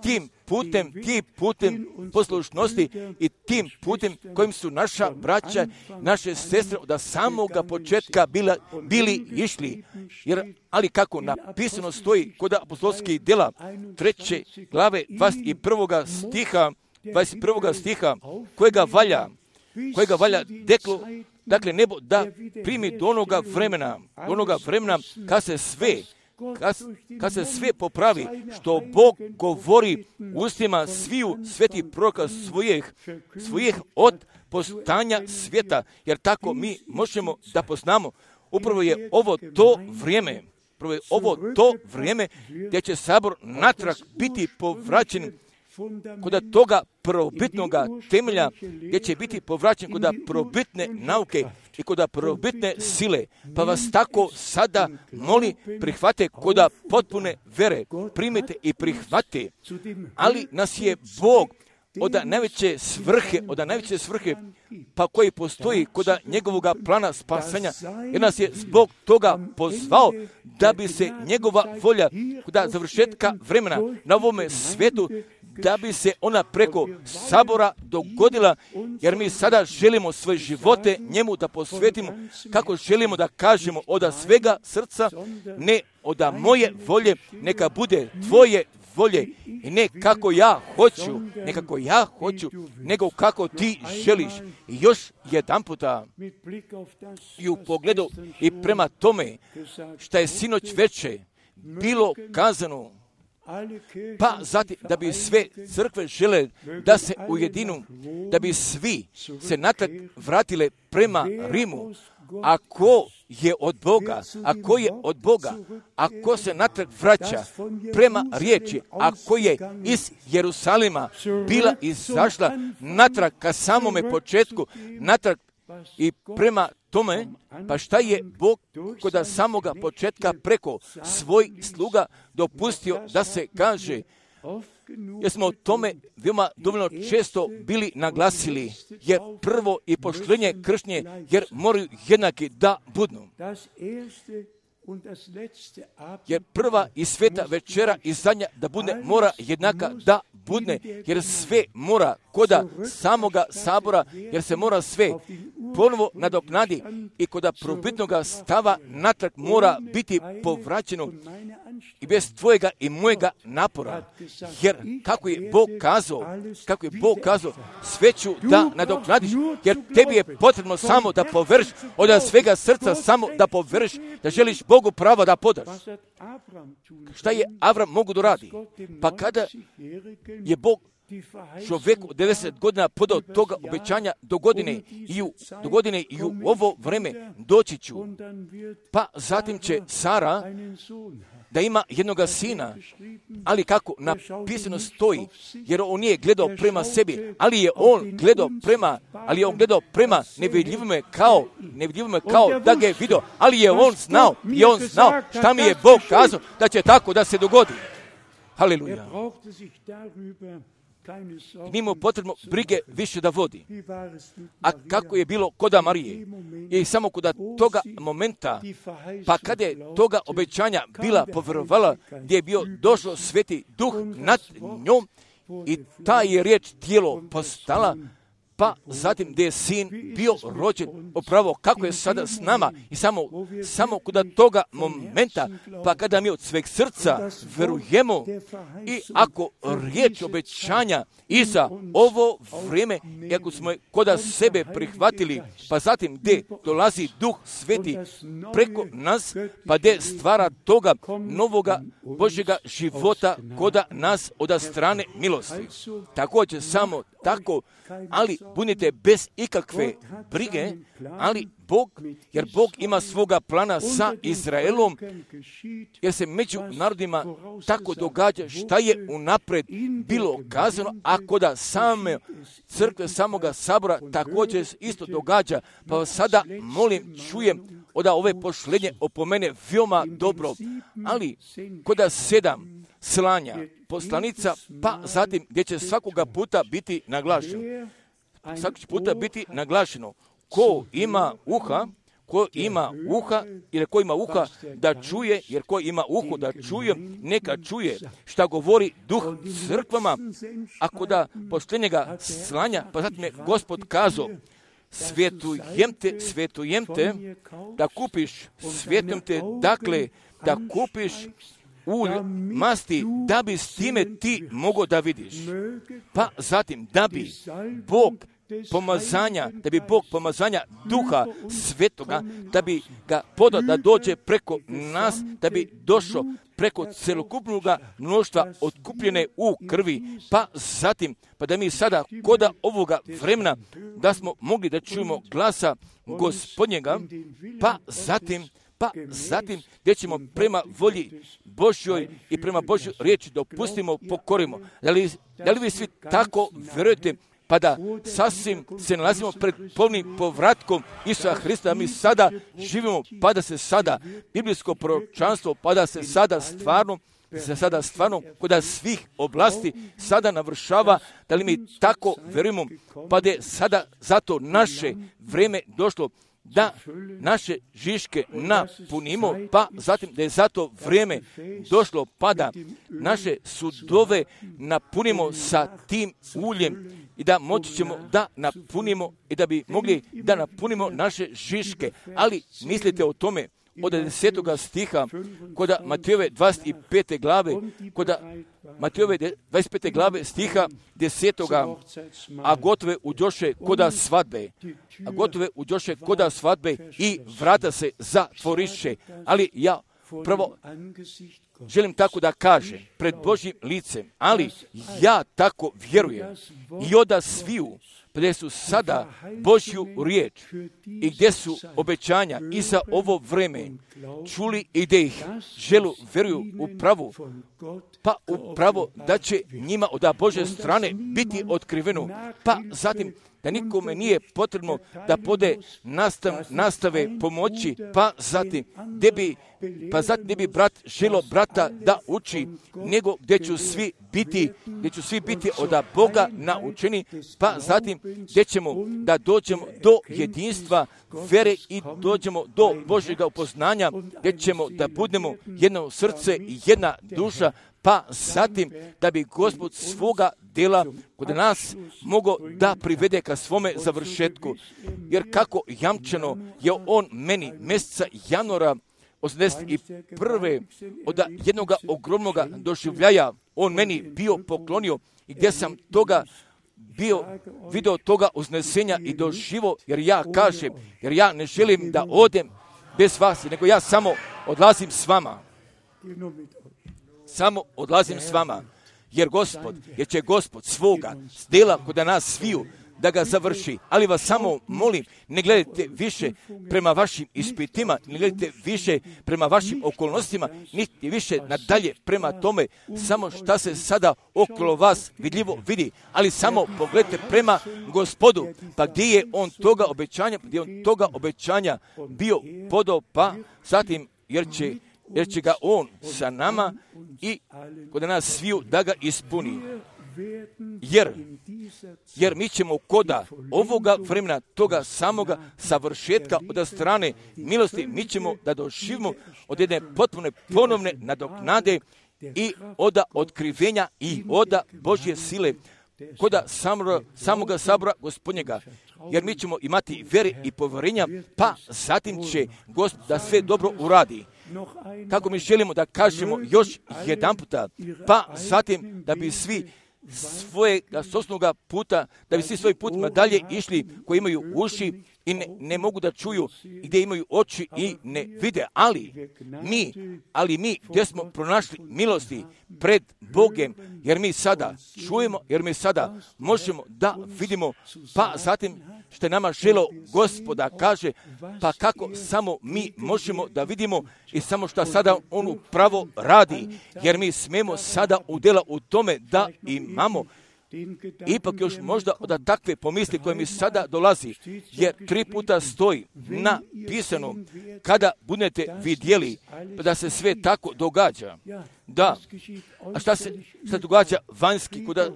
tim putem, tim putem poslušnosti i tim putem kojim su naša braća, naše sestre od samoga početka bila, bili išli, jer ali kako napisano stoji kod apostolskih djela treće glave dvadeset prvog stiha, dvadeset prvog stiha, kojega valja, kojega valja deklo, dakle nebo da primi do onoga vremena, do onoga vremena kad se sve, kad, kad se sve popravi, što Bog govori ustima sviju svetih proroka svojih, svojih od postanja svijeta, jer tako mi možemo da poznamo. Upravo je ovo to vrijeme, Prvo je ovo to vrijeme gdje će sabor natrag biti povraćen kod toga prvobitnoga temelja, gdje će biti povraćen kod prvobitne nauke i kod prvobitne sile. Pa vas tako sada moli, prihvate kod potpune vere, primite i prihvate. Ali nas je Bog od najveće svrhe, od najveće svrhe, pa koji postoji kod njegovog plana spasanja, jer nas je zbog toga pozvao da bi se njegova volja kod završetka vremena na ovome svijetu, da bi se ona preko sabora dogodila, jer mi sada želimo svoje živote njemu da posvetimo, kako želimo da kažemo od svega srca, ne od moje volje, neka bude tvoje volje i ne kako ja hoću, ne kako ja hoću, nego kako ti želiš. I još jedan puta i u pogledu i prema tome što je sinoć veče bilo kazano, pa zatim da bi sve crkve žele da se ujedinu, da bi svi se natrag vratile prema Rimu. Ako je od Boga, ako je od Boga, ako se natrag vraća prema riječi, ako je iz Jerusalima bila izašla natrag ka samome početku, natrag i prema tome, pa šta je Bog kod samoga početka preko svoj sluga dopustio da se kaže, jer smo o tome veoma dovoljno često bili naglasili, jer prvo i poštenje kršnje, jer moraju jednaki da budnu. Jer prva i sveta večera i zadnja da bude mora jednaka da budne, jer sve mora koda samoga sabora, jer se mora sve ponovo nadoknadi i koda probitnoga stava natrag mora biti povraćeno i bez tvojega i mojega napora. Jer kako je Bog kazao, kako je Bog kazao, sve ću da nadoknadiš, jer tebi je potrebno samo da poverš od svega srca, samo da poverš, da želiš Bogu pravo da podaš. Šta je Avram mogu da radi? Pa kada je Bog čovjeku devedeset godina podao toga obećanja do godine i u, do godine i u ovo vreme doći ću. Pa zatim će Sara da ima jednoga sina, ali kako napisano stoji, jer on nije gledao prema sebi, ali je on gledao prema, ali je on gledao prema nevidljivome kao, nevidljivome kao da ga je vidio, ali je on znao, i on znao šta mi je Bog kazao da će tako da se dogodi. Haleluja. Nije mu potrebno brige više da vodi. A kako je bilo koda Marije? I samo koda toga momenta, pa kada je toga obećanja bila povjerovala, gdje je bio došao Sveti Duh nad njom i ta je riječ tijelo postala, pa zatim gdje je sin bio rođen, upravo kako je sada s nama i samo, samo kod toga momenta, pa kada mi od sveg srca verujemo i ako riječ obećanja i za ovo vrijeme, i ako smo je koda sebe prihvatili, pa zatim gdje dolazi Duh Sveti preko nas, pa gdje stvara toga novoga Božjega života koda nas od strane milosti. Također samo tako, ali budite bez ikakve brige, ali Bog, jer Bog ima svoga plana sa Izraelom, jer se među narodima tako događa šta je unapred bilo kazano, ako da same crkve, samoga sabora također isto događa. Pa vas sada molim, čujem od ove pošlenje opomene veoma dobro, ali koda sedam slanja poslanica, pa zatim gdje će svakoga puta biti naglašeno. Svakog puta biti naglašeno. Ko ima uha, ko ima uha, jer ko ima uha da čuje, jer ko ima uho da čuje, neka čuje šta govori Duh crkvama. Ako da posljednjega slanja, pa zatim je Gospod kazao, svetujem te, svetujem te, da kupiš, svetujem te, dakle, da kupiš ulj, masti, da bi s time ti mogao da vidiš. Pa zatim, da bi Bog pomazanja, da bi Bog pomazanja Duha Svetoga, da bi ga podao da dođe preko nas, da bi došao preko celokupnog mnoštva otkupljene u krvi, pa zatim, pa da mi sada koda ovoga vremena, da smo mogli da čujemo glasa Gospodnjega, pa zatim, pa zatim gdje ćemo prema volji Božjoj i prema Božjoj riječi dopustimo, pokorimo. Da li, da li vi svi tako vjerujete, pa da sasvim se nalazimo pred polnim povratkom Isusa Hrista, mi sada živimo, pa da se sada biblijsko proročanstvo, pa da se sada stvarno, se sada stvarno kod svih oblasti sada navršava, da li mi tako vjerujemo, pa da je sada zato naše vrijeme došlo da naše žiške napunimo, pa zatim da je zato vrijeme došlo, pa da naše sudove napunimo sa tim uljem i da moći ćemo da napunimo i da bi mogli da napunimo naše žiške. Ali mislite o tome, od desetoga stiha, koda Matejove dvadeset pete glave, koda Matejove dvadeset pete glave stiha desetoga, a gotove uđoše koda svadbe, a gotove uđoše koda svadbe i vrata se zatvoriše. Ali ja prvo želim tako da kažem pred Božjim licem, ali ja tako vjerujem i oda sviju gdje su sada Božju riječ i gdje su obećanja i za ovo vreme čuli i gdje ih želu vjeruju u pravu, pa upravo da će njima od Božje strane biti otkriveno, pa zatim da nikome nije potrebno da pode nastav, nastave pomoći, pa zatim gdje bi, pa zatim gdje bi brat želo brata da uči, nego gdje ću svi biti, gdje ću svi biti od Boga naučeni, pa zatim gdje ćemo da dođemo do jedinstva vere i dođemo do Božjega upoznanja, gdje ćemo da budemo jedno srce i jedna duša, pa zatim da bi Gospod svoga dela kod nas mogao da privede ka svome završetku. Jer kako jamčeno je on meni mjeseca januara osamdeset prve od jednog ogromnog doživljaja on meni bio poklonio i gdje sam toga bio video toga uznesenja i doživo, jer ja kažem, jer ja ne želim da odem bez vas, nego ja samo odlazim s vama. Samo odlazim s vama, jer Gospod, jer će Gospod svoga dela kod nas sviju da ga završi. Ali vas samo molim, ne gledajte više prema vašim ispitima, ne gledajte više prema vašim okolnostima, niti više nadalje prema tome, samo šta se sada okolo vas vidljivo vidi, ali samo pogledajte prema Gospodu, pa gdje je on toga obećanja, gdje je on toga obećanja bio podao, pa zatim jer će jer će ga on sa nama i kod nas sviju da ga ispuni. Jer, jer mi ćemo koda ovoga vremena, toga samoga savršetka od strane milosti, mi ćemo da doživimo od jedne potpune ponovne nadoknade i od otkrivenja i od Božje sile, koda samoga, samoga sabora Gospodnjega. Jer mi ćemo imati vere i povjerenja, pa zatim će Gospod da sve dobro uradi. Kako mi želimo da kažemo još jedan puta, pa zatim da bi svi svoje sosnoga puta, da bi svi svoj put dalje išli koji imaju uši i ne, ne mogu da čuju, i gdje imaju oči i ne vide, ali mi, ali mi gdje smo pronašli milosti pred Bogem, jer mi sada čujemo, jer mi sada možemo da vidimo, pa zatim što je nama želo Gospoda kaže, pa kako samo mi možemo da vidimo i samo što sada on upravo radi, jer mi smemo sada udjela u tome da imamo ipak još možda od takve pomisli koje mi sada dolazi, jer tri puta stoji napisano, kada budete vidjeli da se sve tako događa. Da, a šta se šta događa vanjski, kuda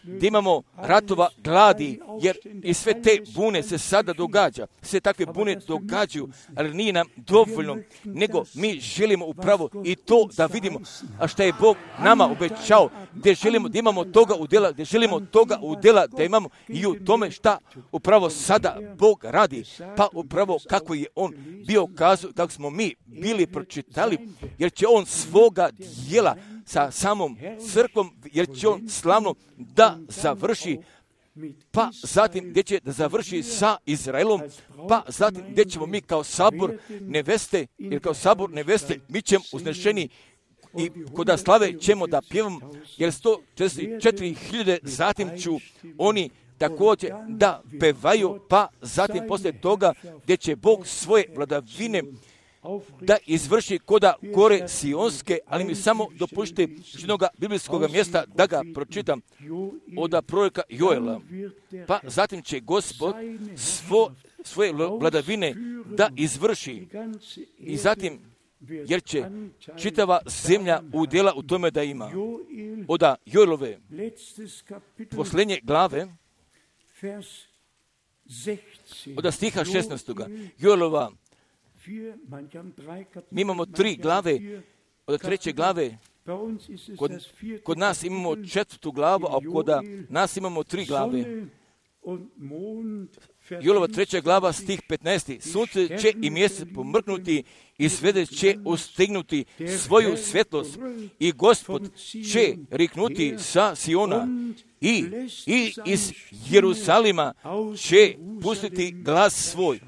gdje imamo ratova, gladi, jer i sve te bune se sada događa, sve takve bune događaju, ali nije nam dovoljno, nego mi želimo upravo i to da vidimo, a šta je Bog nama obećao, gdje želimo da imamo toga udjela, gdje želimo toga udjela da imamo i u tome šta upravo sada Bog radi, pa upravo kako je on bio kazao, kako smo mi bili pročitali, jer će on svoga djela sa samom crkvom, jer će on slavno da završi, pa zatim gdje će da završi sa Izraelom, pa zatim gdje ćemo mi kao sabor neveste, jer kao sabor neveste mi ćemo uznešeni i koda slave ćemo da pjevamo, jer sto četrdeset četiri hiljade zatim ću oni također da pevaju, pa zatim poslije toga gdje će Bog svoje vladavine da izvrši koda gore Sionske, ali mi samo dopušte jednog biblijskog mjesta da ga pročitam od proroka Joela. Pa zatim će Gospod svo, svoje vladavine da izvrši i zatim jer će čitava zemlja udjela u tome da ima. Od Joelove posljednje glave od stiha šesnaestog. Joelova, mi imamo tri glave, od treće glave, kod, kod nas imamo četvrtu glavu, a kod nas imamo tri glave. Joelova treća glava, stih petnaesti. Sunce će i mjesec pomrknuti i svede će ustignuti svoju svjetlost i Gospod će riknuti sa Siona i, i iz Jerusalima će pustiti glas svoj.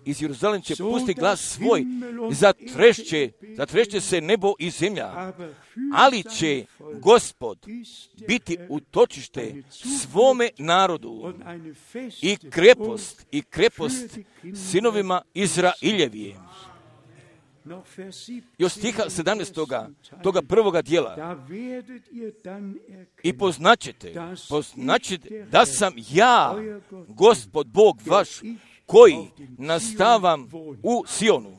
Iz Jeruzalem će pustiti glas svoj, zatrešće, zatrešće se nebo i zemlja, ali će Gospod biti utočište svome narodu i krepost, i krepost sinovima Izraeljevije. još stiha sedamnaestoga toga prvoga dijela. I poznaćete, poznaćete da sam ja, Gospod Bog vaš, koji nastavam u Sionu.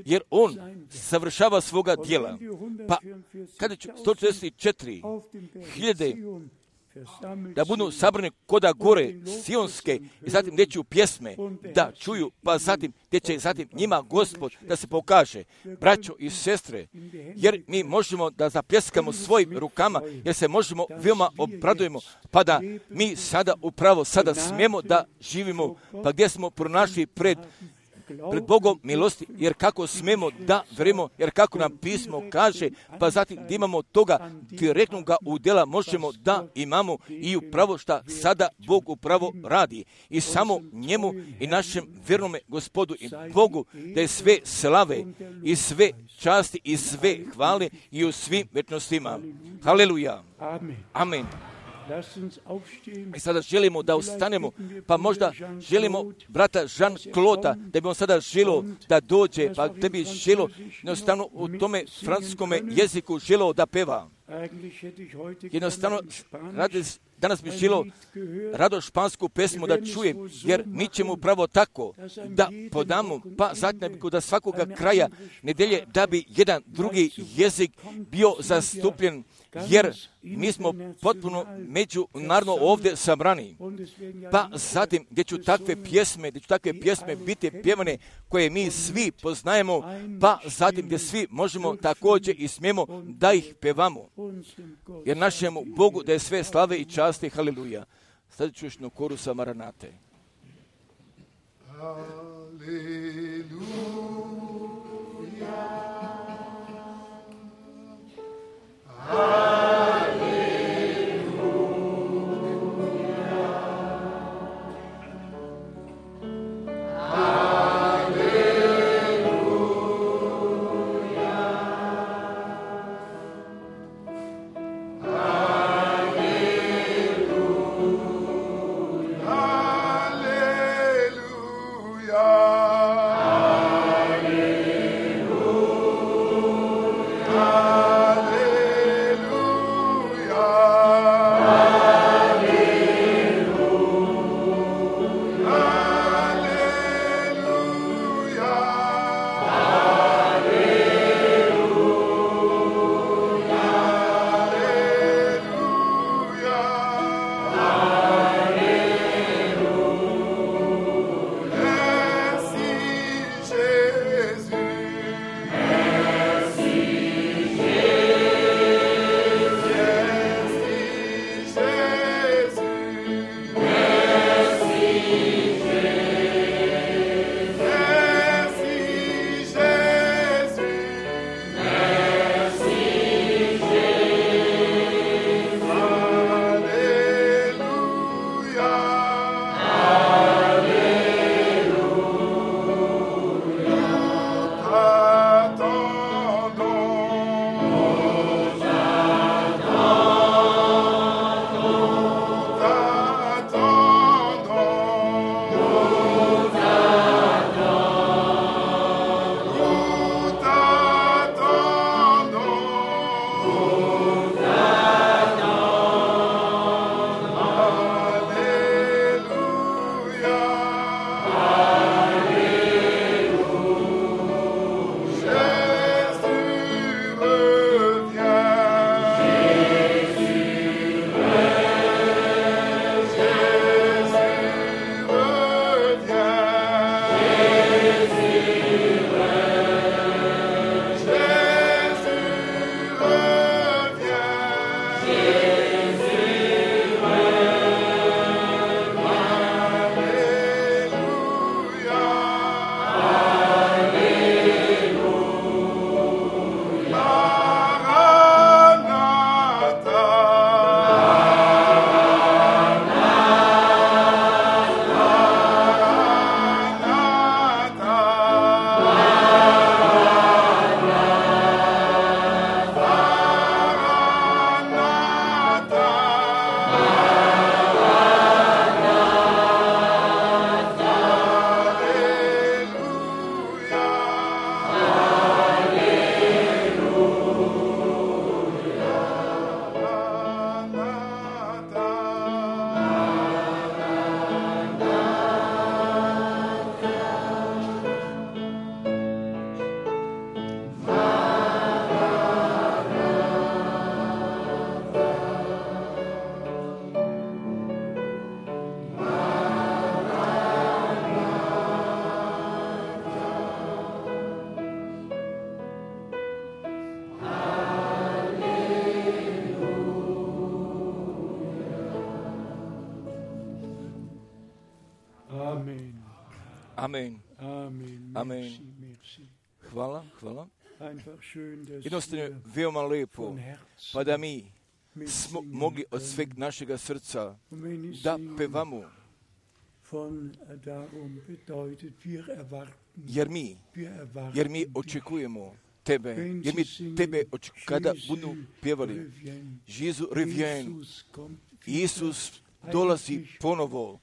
Jer on savršava svoga djela. Pa kada će sto četrdeset četiri hiljade da budu sabrani koda gore sionske i zatim gdje će pjesme da čuju, pa zatim gdje će zatim njima Gospod da se pokaže, braćo i sestre, jer mi možemo da zapljeskamo svojim rukama, jer se možemo veoma obradujemo, pa da mi sada upravo sada smijemo da živimo, pa gdje smo pronašli pred pred Bogom milosti, jer kako smemo da verujemo, jer kako nam pismo kaže, pa zatim da imamo toga direktnoga udjela možemo da imamo i upravo šta sada Bog upravo radi. I samo njemu i našem vjernome Gospodu i Bogu da je sve slave i sve časti i sve hvale i u svim večnostima. Haleluja. Amen. I sada želimo da ustanemo, pa možda želimo brata Jean-Claude, da bi on sada želio da dođe, pa da bi želio jednostavno u tome francuskome jeziku želio da peva. Jednostavno, danas bi želio rado špansku pesmu da čuje, jer mi ćemo upravo tako da podamo, pa zatim da svakoga kraja nedelje da bi jedan drugi jezik bio zastupljen, jer mi smo potpuno međunarodno ovdje sabrani. Pa zatim gdje ću takve pjesme, gdje ću takve pjesme biti pjevane koje mi svi poznajemo, pa zatim gdje svi možemo također i smijemo da ih pevamo. Jer našemu Bogu da je sve slave i časti, haleluja. Sada ću još na korusa Maranate. Hallelujah. Amen. Amen. Hvala, hvala. Jednostavno je veoma lepo, pa da mi smo mogli od sveg našega srca da pevamo, jer mi, jer mi očekujemo Tebe, jer mi Tebe očekujemo, kada budu pjevali Jésus revient, Isus dolazi ponovo,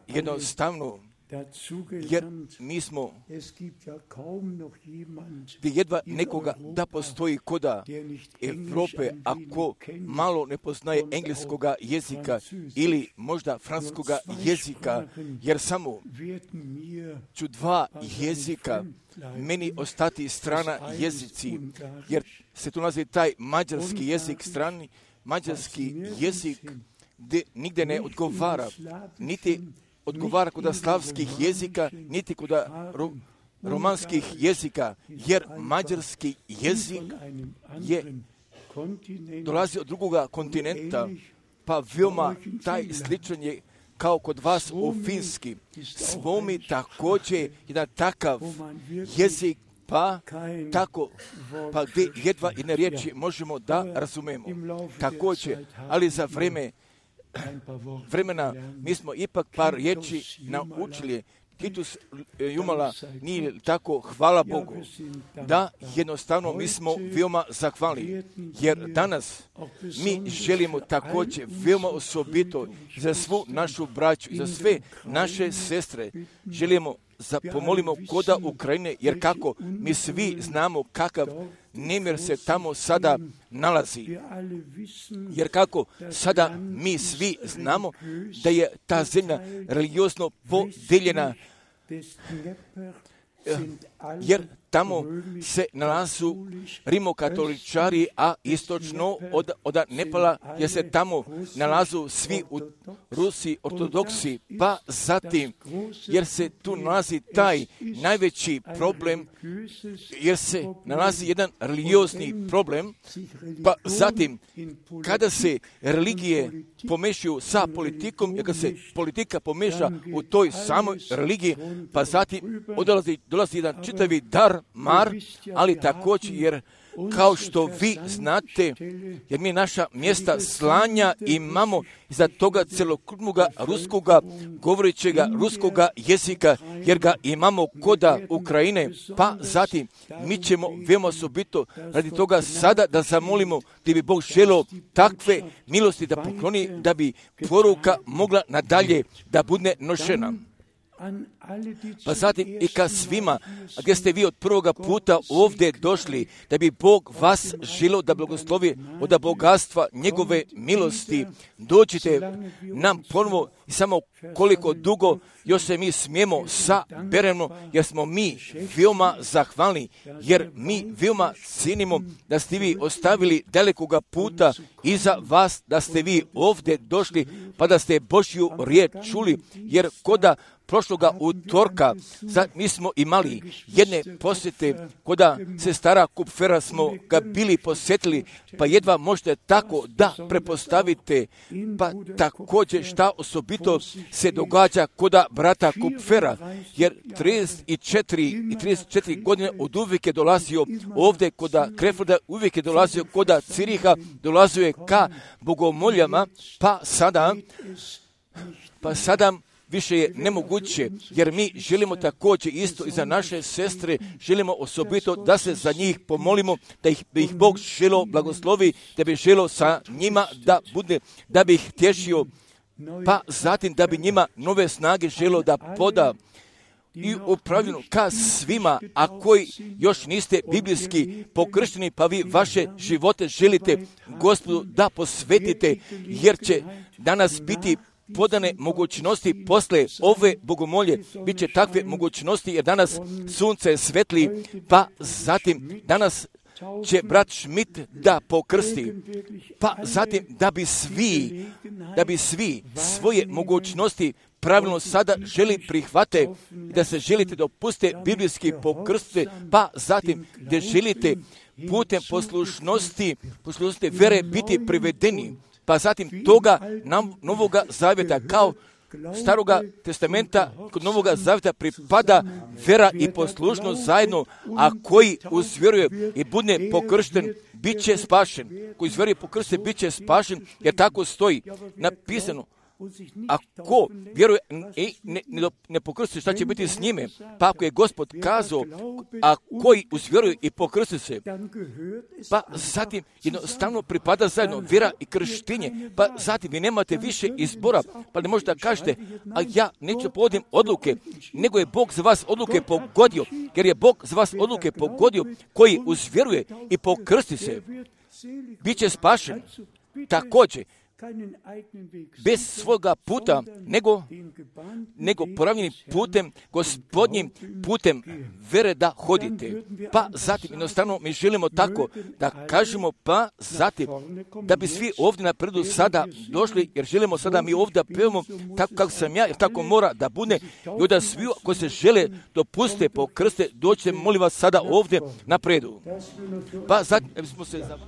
jednostavno, jer mi smo gdje jedva nekoga da postoji koda Evrope, ako malo ne poznaje engleskoga jezika ili možda francuskoga jezika, jer samo ću dva jezika meni ostati strana jezici, jer se tu nalazi taj mađarski jezik, strani mađarski jezik, gdje nigdje ne odgovara, niti odgovara kod slavskih jezika, niti kod ro, romanskih jezika, jer mađarski jezik je dolazi od drugoga kontinenta, pa veoma taj sličan je kao kod vas u finski. Svomi također jedan takav jezik, pa tako, pa gdje jedva jedne riječi možemo da razumemo. Također, ali za vreme vremena mi smo ipak par riječi naučili. Titus Jumala nije tako, hvala Bogu, da jednostavno mi smo veoma zahvalni, jer danas mi želimo također veoma osobito za svu našu braću, za sve naše sestre, želimo za pomolimo koda Ukrajine, jer kako mi svi znamo kakav nemir se tamo sada nalazi. Jer kako sada mi svi znamo da je ta zemlja religiozno podijeljena, jer tamo se nalazu rimokatoličari, a istočno od, od Nepala, jer se tamo nalazu svi u Rusiji ortodoksi, pa zatim, jer se tu nalazi taj najveći problem, jer se nalazi jedan religiozni problem, pa zatim, kada se religije pomešaju sa politikom, jer kada se politika pomeša u toj samoj religiji, pa zatim odlazi, dolazi jedan čitavi dar, mar, ali također jer kao što vi znate, jer mi naša mjesta slanja imamo iza toga celokupnoga ruskoga, govorećega ruskoga jezika, jer ga imamo koda Ukrajine, pa zatim mi ćemo veoma osobito radi toga sada da zamolimo da bi Bog želeo takve milosti da pokloni, da bi poruka mogla nadalje da bude nošena. Pa zatim i ka svima, gdje ste vi od prvoga puta ovdje došli, da bi Bog vas želio da blagoslovi od bogatstva njegove milosti, dođite nam ponovo i samo koliko dugo još se mi smijemo saberemo, jer smo mi veoma zahvalni, jer mi veoma cijenimo da ste vi ostavili dalekoga puta iza vas, da ste vi ovdje došli, pa da ste Božju riječ čuli, jer koda prošloga utorka sad mi smo imali jedne posjete koda se stara Kupfera smo ga bili posjetili, pa jedva možete tako da prepostavite, pa također šta osobito se događa koda brata Kupfera, jer trideset četiri i trideset četiri godine od uvijek je dolazio ovdje koda Krefelda, uvijek je dolazio koda Ciriha, dolazio je ka bogomoljama, pa sada, pa sada više je nemoguće, jer mi želimo također isto i za naše sestre, želimo osobito da se za njih pomolimo, da ih, da ih Bog želo blagoslovi, da bi želo sa njima da bude, da bi ih tješio, pa zatim da bi njima nove snage želo da poda. I upravljeno ka svima, a koji još niste biblijski pokršteni, pa vi vaše živote želite Gospodu da posvetite, jer će danas biti podane mogućnosti posle ove bogomolje, bit će takve mogućnosti, jer danas sunce svetli, pa zatim danas će brat Schmidt da pokrsti, pa zatim da bi svi, da bi svi svoje mogućnosti pravilno sada želi prihvate, da se želite dopuste biblijski pokrste, pa zatim da želite putem poslušnosti, poslušnosti vere biti privedeni, pa zatim toga nam novoga zavjeta, kao Staroga testamenta kod Novoga zavjeta pripada vera i poslušnost zajedno, a koji uzvjeruje i bude pokršten, bit će spašen. Koji uzvjeruje i pokršten, bit će spašen, jer tako stoji napisano. Ako vjeruje i ne, ne, ne pokrsti, šta će biti s njime? Pa ako je Gospod kazao, a koji uzvjeruje i pokrsti se, pa zatim jednostavno pripada zajedno vjera i krštenje, pa zatim vi nemate više izbora, pa ne možete da kažete, a ja neću povodim odluke, nego je Bog za vas odluke pogodio, jer je Bog za vas odluke pogodio, koji uzvjeruje i pokrsti se, bit će spašen. Također, bez svoga puta, nego, nego poravljenim putem, gospodnjim putem vere da hodite. Pa zatim, jednostavno, mi želimo tako da kažemo, pa zatim, da bi svi ovdje na predu sada došli, jer želimo sada mi ovdje pevamo tako kako sam ja, jer tako mora da bude, i onda svi koji se žele dopuste, pokrste, dođite, molim vas, sada ovdje na predu. Pa zatim, smo se za...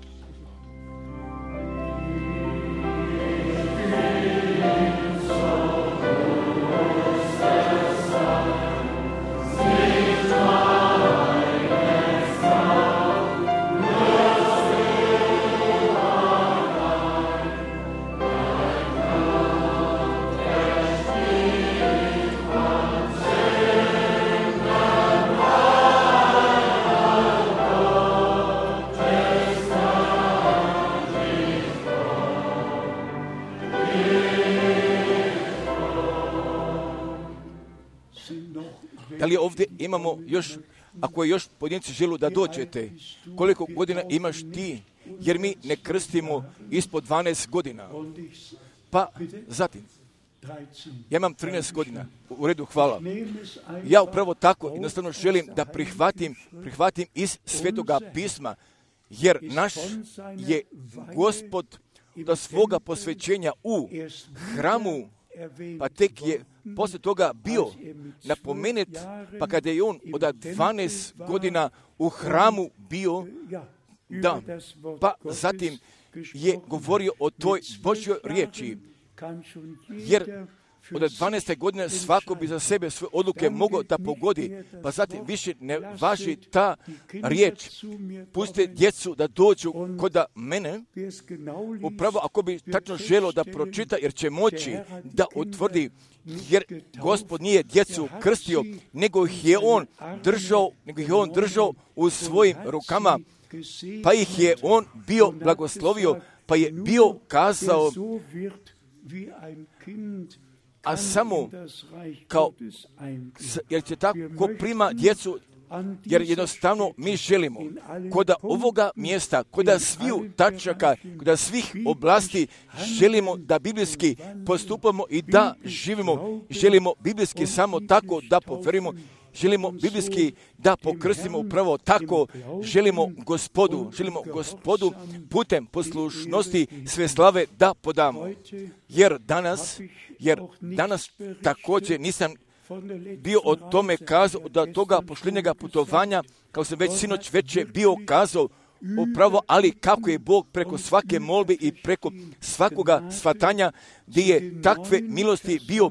Da li ovdje imamo još, ako je još pojedinci želu da dođete, koliko godina imaš ti, jer mi ne krstimo ispod dvanaest godina. Pa zatim, ja imam trinaest godina, u redu, hvala. Ja upravo tako jednostavno želim da prihvatim, prihvatim iz Svetoga pisma, jer naš je Gospod do svoga posvećenja u hramu, pa tek je poslije toga bio napomenut, pa kada je on od dvanaest godina u hramu bio, da, pa zatim je govorio o toj Božjoj riječi, jer od dvanaeste godine svako bi za sebe svoje odluke mogao da pogodi, pa zatim više ne važi ta riječ. Pustite djecu da dođu kod mene, upravo ako bi tačno želio da pročita, jer će moći da utvrdi, jer Gospod nije djecu krstio, nego ih je on držao, nego ih je on držao u svojim rukama, pa ih je on bio blagoslovio, pa je bio kazao, a samo kao, jer će tako ko prima djecu, jer jednostavno mi želimo kod ovoga mjesta, kod sviju tačaka, kod svih oblasti, želimo da biblijski postupamo i da živimo. Želimo biblijski samo tako da poverimo. Želimo biblijski da pokrstimo upravo tako. Želimo Gospodu, želimo Gospodu putem poslušnosti sve slave da podamo. Jer danas, jer danas također nisam bio o tome kazao, da toga pošljenjega putovanja, kao sam već sinoć već je bio kazao, upravo, ali kako je Bog preko svake molbe i preko svakoga svatanja gdje je takve milosti bio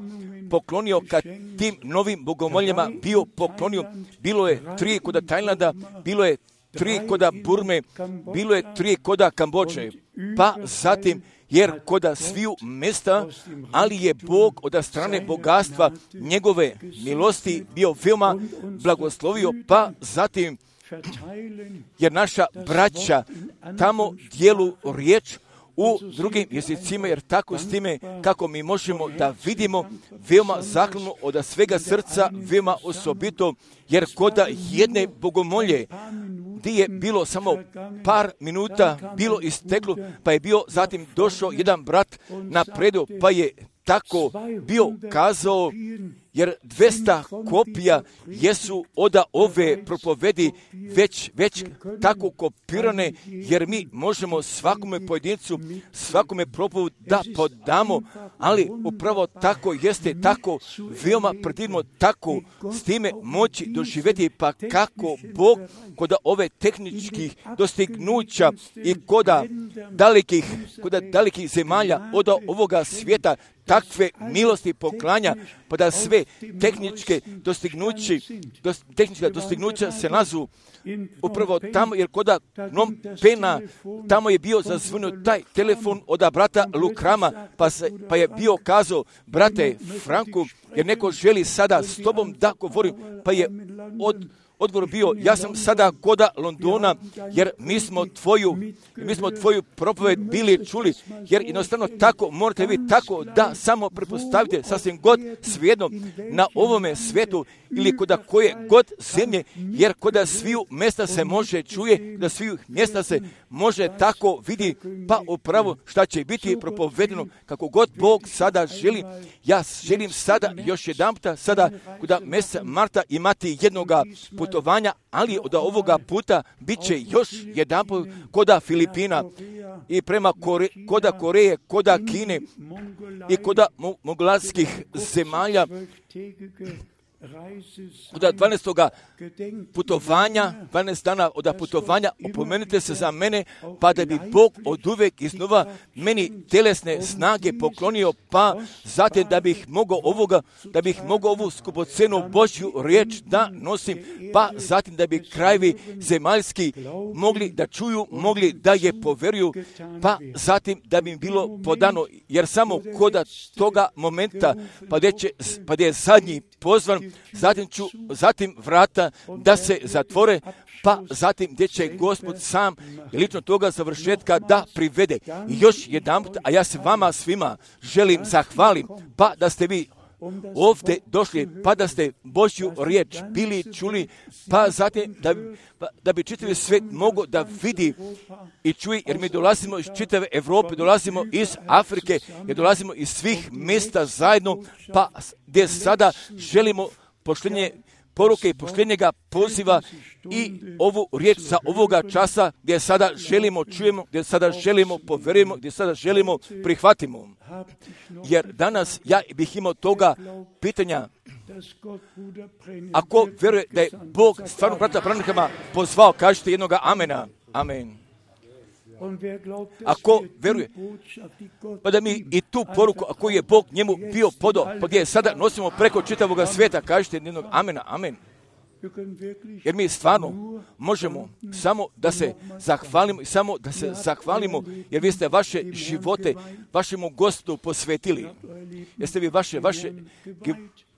poklonio kad tim novim bogomoljama bio poklonio. Bilo je tri koda Tajlanda, bilo je tri koda Burme, bilo je tri koda Kambođe, pa zatim jer koda sviju mjesta, ali je Bog od strane bogatstva njegove milosti bio veoma blagoslovio, pa zatim jer naša braća tamo dijelu riječ u drugim jezicima, jer tako s time kako mi možemo da vidimo veoma zahvalno od svega srca, veoma osobito, jer koda jedne bogomolje gdje je bilo samo par minuta bilo isteklo, pa je bio zatim došao jedan brat na predu, pa je tako bio kazao, jer dvesta kopija jesu od ove propovedi već, već tako kopirane, jer mi možemo svakome pojedincu, svakome propovedu da podamo, ali upravo tako jeste, tako veoma predivno, tako s time moći doživjeti, pa kako Bog kod ove tehničkih dostignuća i kod dalekih, kod dalekih zemalja od ovoga svijeta, takve milosti poklanja, pa da sve tehničke dostignuće, dos, tehnička dostignuća se nazu upravo tamo, jer koda Phnom Penha, tamo je bio zazvonio taj telefon od brata Lukrama, pa, se, pa je bio kazao, brate Franku, jer neko želi sada s tobom da govorim, pa je od odgovor bio, ja sam sada koda Londona, jer mi smo tvoju, mi smo tvoju propoved bili čuli, jer jednostavno tako morate vi tako da samo prepostavite sasvim god svejedno na ovome svetu ili koda koje god zemlje, jer koda sviju mjesta se može čuje, da sviju mjesta se može tako vidi, pa upravo šta će biti propovedeno kako god Bog sada želi. Ja želim sada još jedan puta, sada koda mjeseca marta imati jednoga putovanja, ali od ovoga puta bit će još jedan put koda Filipina i prema Kore, koda Koreje, koda Kine i koda moglatskih zemalja. Od dvanaestoga putovanja, dvanaest dana od putovanja, opomenite se za mene, pa da bi Bog od uvek iznova meni telesne snage poklonio, pa zatim da bih mogao ovoga, da bih mogao ovu skupocenu Božju riječ da nosim, pa zatim da bi krajevi zemaljski mogli da čuju, mogli da je poveruju, pa zatim da bi im bilo podano, jer samo koda toga momenta, pa gdje će, pa gdje je zadnji pozvan, zatim ću, zatim vrata da se zatvore, pa zatim gdje će Gospod sam i lično toga završetka da privede. I još jedan put, a ja se vama svima želim zahvalim, pa da ste vi ovdje došli, pa da ste Božju riječ bili čuli, pa zatim da, pa, da bi čitavi svijet mogao da vidi i čuje, jer mi dolazimo iz čitave Evrope, dolazimo iz Afrike, jer dolazimo iz svih mjesta zajedno, pa gdje sada želimo poštenje poruke i poštenjega poziva i ovu riječ za ovoga časa gdje sada želimo čujemo, gdje sada želimo poverujemo, gdje sada želimo prihvatimo. Jer danas ja bih imao toga pitanja, ako vjeruje da je Bog stvarno brata Branhama pozvao, kažete jednoga amena. Amen. Ako vjeruje, pa da mi i tu poruku, ako je Bog njemu bio podao, pa gdje je sada nosimo preko čitavoga svijeta, kažete jednog amena, amen. Jer mi stvarno možemo samo da se zahvalimo i samo da se zahvalimo, jer vi ste vaše živote vašemu Gospodu posvetili. Jeste vi vaše, vaše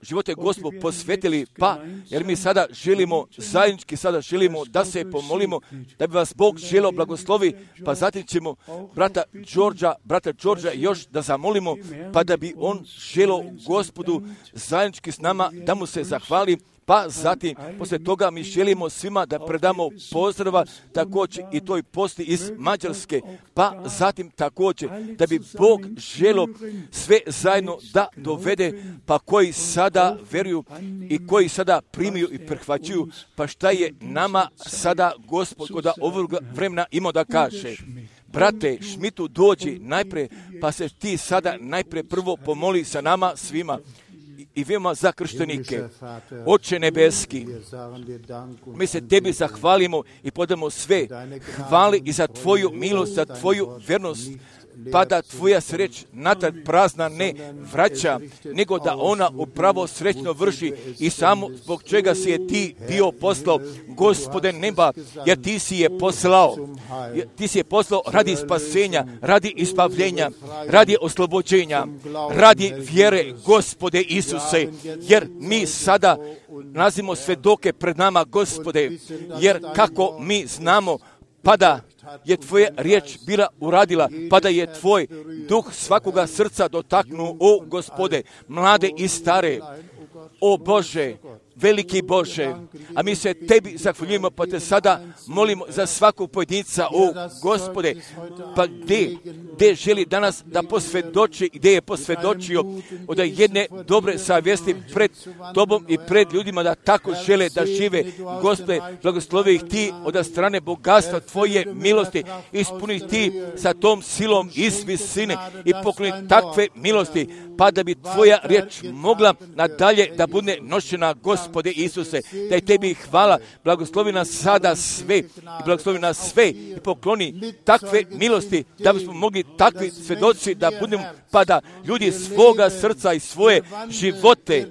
živote Gospodu posvetili, pa jer mi sada želimo, zajednički sada želimo da se pomolimo, da bi vas Bog želeo blagoslovi, pa zatim ćemo brata Đorđa, brata Đorđa još da zamolimo, pa da bi on želeo Gospodu zajednički s nama da mu se zahvali. Pa zatim, poslije toga mi želimo svima da predamo pozdrava, također i toj posti iz Mađarske, pa zatim također da bi Bog želio sve zajedno da dovede, pa koji sada veruju i koji sada primiju i prihvaćuju, pa šta je nama sada Gospod kod ovog vremena imao da kaže. Brate Šmitu, dođi najprije, pa se ti sada najprije prvo pomoli sa nama svima. I vima za krštenike. Oče nebeski, mi se tebi zahvalimo i podamo sve hvali i za tvoju milost, za tvoju vjernost, pa da tvoja sreć natad prazna ne vraća, nego da ona upravo srećno vrši i samo zbog čega si je ti bio poslao, Gospode neba, jer ti si je poslao, ti si je poslao radi spasenja, radi izbavljenja, radi oslobođenja, radi vjere, Gospode Isuse, jer mi sada nalazimo svedoke pred nama, Gospode, jer kako mi znamo, pa da je tvoja riječ bila uradila, pa da je tvoj duh svakoga srca dotaknuo, o Gospode, mlade i stare, o Bože, veliki Bože, a mi se tebi zahvaljujemo, pa te sada molimo za svakog pojedinca, o Gospode, pa gdje, gdje želi danas da posvjedoči, gdje je posvjedočio od jedne dobre savjesti pred tobom i pred ljudima da tako žele da žive. Gospode, blagoslovi ih ti od strane bogatstva tvoje milosti, ispuni ih ti sa tom silom iz visine i pokloni takve milosti, pa da bi tvoja riječ mogla nadalje da bude nošena, Gospode, Gospode Isuse, da je tebi hvala, blagoslovi nas sada sve, i blagoslovi nas sve, i pokloni takve milosti, da bismo mogli takvi svedoci da budemo, pa da ljudi svoga srca i svoje živote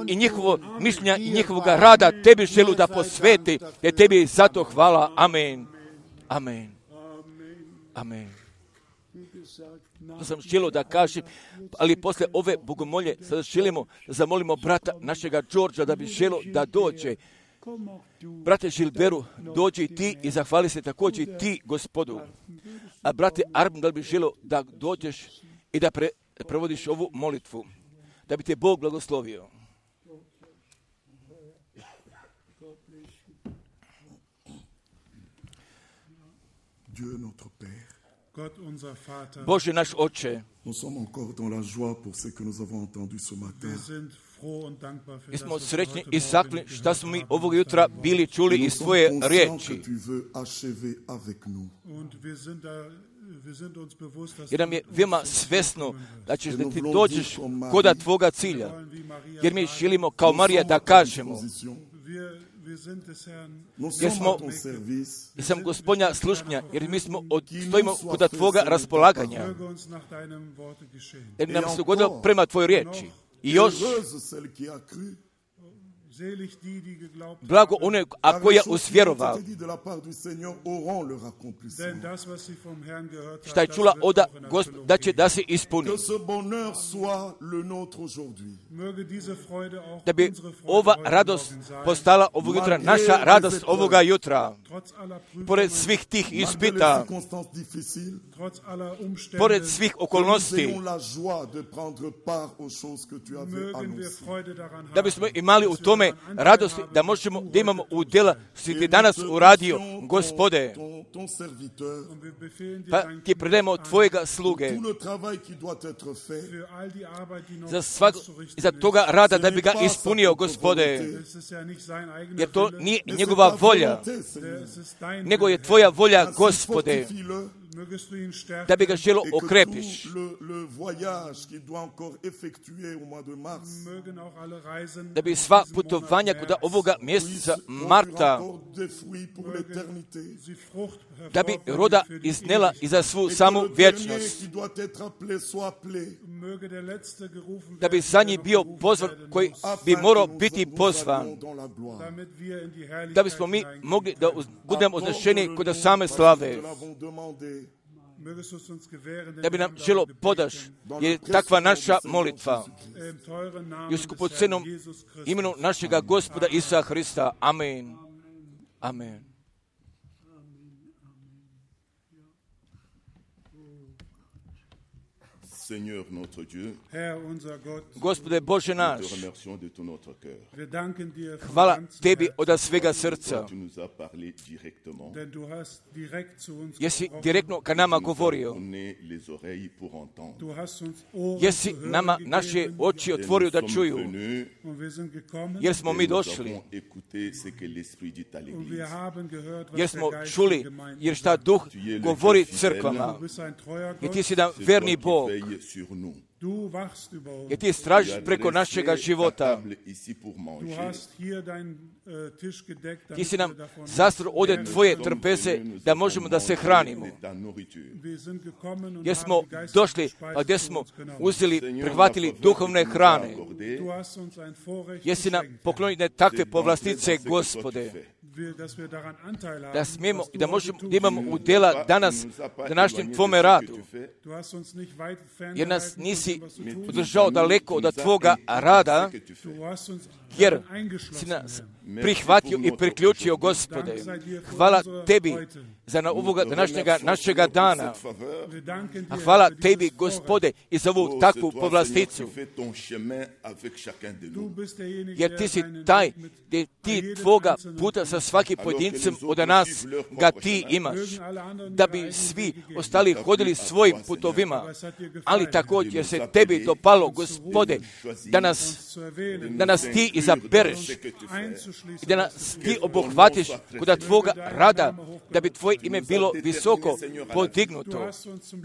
i njihovo mišljenja i njihovoga rada tebi želu da posveti, jer tebi zato hvala. Amen. Amen. Amen. To sam želio da kažem, ali posle ove bogomolje sada želimo da zamolimo brata našega Đorđa da bi želio da dođe. Brate Žilberu, dođi i ti i zahvali se također i ti Gospodu. A brate Armin, da bi želio da dođeš i da pre, provodiš ovu molitvu, da bi te Bog blagoslovio. Dieu notre Père. Bože naš Oče, Nous sommes encore dans la joie pour ce que nous avons entendu ce matin. mi smo srećni i zahvalni što smo mi ovog jutra bili čuli iz tvoje riječi. Jer nam je veoma svesno da ćeš da ti dođeš koda tvoga cilja. Jer mi želimo kao Marija da kažemo, jer smo, jer sam Gospodnja slušnja, jer mi smo od, stojimo koda tvoga raspolaganja. Jer nam se dogodilo prema tvojoj riječi. I još, blago one, a koja usvjerovao, šta je čula oda Gospod, da će da se ispuni. Da bi ova radost postala ovog jutra naša radost ovoga jutra. Pored svih tih ispita, pored svih okolnosti, da bismo imali u tome radosti, da možemo, da imamo udjela što ti danas uradio, Gospode. Pa ti predajemo tvojega sluge za svak, za toga rada da bi ga ispunio, Gospode. Jer to nije njegova volja, nego je tvoja volja, Gospode, da bi ga želo okrepiš. Da bi sva putovanja kod ovoga mjeseca marta, da bi roda iznela i za svu samu vječnost. Da bi za njih bio pozvan koji bi morao biti pozvan. Da bismo mi mogli da budemo označeni kod same slave. Da bi nam želo podaš, jer je takva naša molitva. I u skupocenom imenu našega Gospoda Isusa Hrista. Amen. Amen. Seigneur notre Dieu, Gospode Bože naš, hvala tebi od svega srca, jer si direktno ka nama govorio, jer si nama naše oči otvorio da čuju, jer smo mi došli, jer smo čuli, jer šta Duh govori crkvama, jer ti si jedan verni Bog, jer ti stražiš preko našega života. Ti si nam zastro ovdje tvoje trpeze da možemo da se hranimo. Jer smo došli, a gdje smo uzeli, prihvatili duhovne hrane. Jer si nam poklonili takve povlastice, Gospode. Da smijemo i da možemo, da imamo udjela danas današnjem tvome radu. Jer nas nisi održao daleko od tvoga rada, jer si nas prihvatio i priključio, Gospode. Hvala tebi za na ovoga današnjega našega dana. A hvala tebi, Gospode, i za ovu takvu povlasticu. Jer ti si taj, gdje ti tvoga puta sa svaki pojedincem od nas ga ti imaš, da bi svi ostali hodili svojim putovima, ali također se tebi dopalo, Gospode, da nas, da nas ti izabereš i da nas ti obuhvatiš kod tvoga rada, da bi tvoje ime bilo visoko podignuto,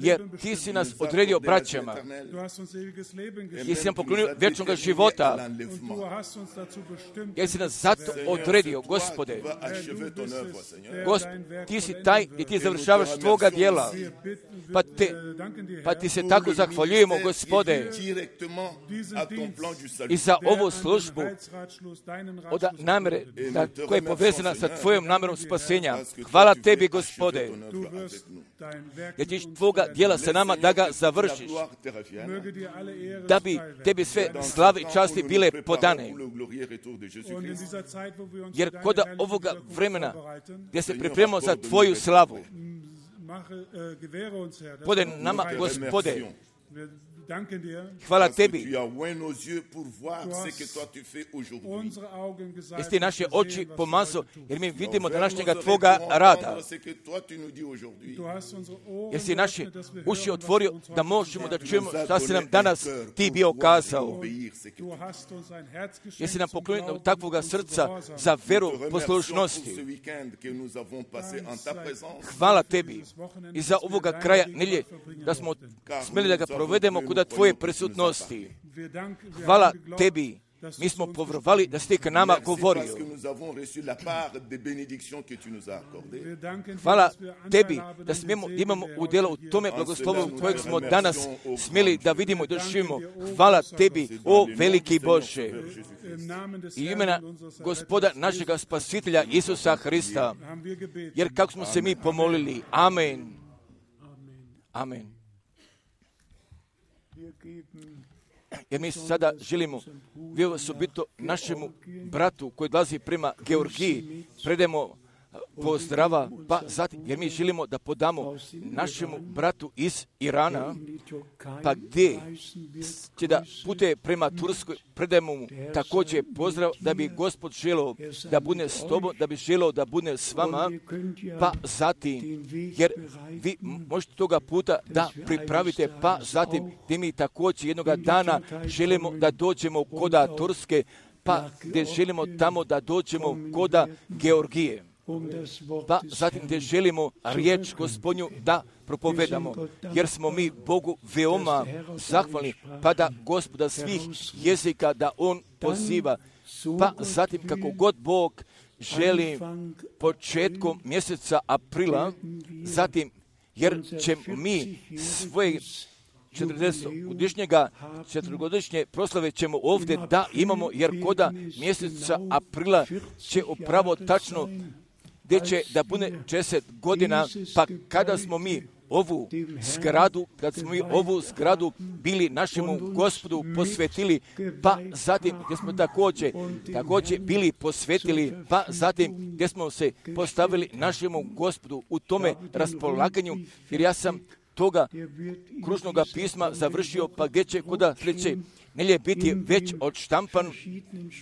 jer ti si nas odredio braćama, jer si nam poklonio vječnog života, jer si nas zato odredio, Gospode. Gosp, ti si taj i ti završavaš tvoga djela, pa, te, pa ti se tako zahvaljujemo, Gospode, i za ovu službu od namere da, koja je povezana sa tvojom namerom spasenja. Hvala tebi, Gospode, jer ćeš tvoga djela sa nama da ga završiš, da bi tebi sve slave i časti bile podane. Jer kod ovoga vremena gdje se pripremamo za tvoju slavu, podaj nama, Gospode, hvala tebi. Jesi ti naše oči pomazao, jer mi vidimo današnjega tvoga rada. Jesi ti naše uši otvorio da možemo da čujemo šta si nam danas ti bio kazao. Jesi nam poklonio takvoga srca za veru poslušnosti. Hvala tebi i za ovoga kraja nelje da smo smjeli da ga provedemo kod tvoje prisutnosti. Hvala tebi. Mi smo povjerovali da si ti k nama govorio. Hvala tebi da smijemo, imamo udjela u tome blagoslovu kojeg smo danas smjeli da vidimo i doživimo. Hvala tebi, o veliki Bože. I imena Gospoda našega Spasitelja Isusa Hrista. Jer kako smo se mi pomolili. Amen. Amen. Jer mi sada želimo vi osobito našemu bratu koji dolazi prema Georgiji predemo pozdrava, pa zatim, jer mi želimo da podamo našemu bratu iz Irana, pa gdje će da putuje prema Turskoj, predajemo mu također pozdrav da bi Gospod želeo da bude s tobom, da bi želeo da bude s vama, pa zatim, jer vi možete toga puta da pripravite, pa zatim gdje mi također jednoga dana želimo da dođemo koda Turske, pa gdje želimo tamo da dođemo koda Georgije. Pa zatim gdje želimo riječ Gospodnju da propovedamo, jer smo mi Bogu veoma zahvalni, pa da Gospoda svih jezika da On poziva, pa zatim kako god Bog želi početkom mjeseca aprila, zatim jer ćemo mi svoje četrdesetogodišnjega, četvrtogodišnje proslave ćemo ovdje da imamo, jer koda mjeseca aprila će upravo tačno gdje će da bude četrdeset godina, pa kada smo mi ovu zgradu, kad smo mi ovu zgradu bili našemu Gospodu posvetili, pa zatim gdje smo također, također bili posvetili, pa zatim gdje smo se postavili našemu Gospodu u tome raspolaganju, jer ja sam toga kružnog pisma završio, pa gdje će kuda sljedeće nelje biti već odštampan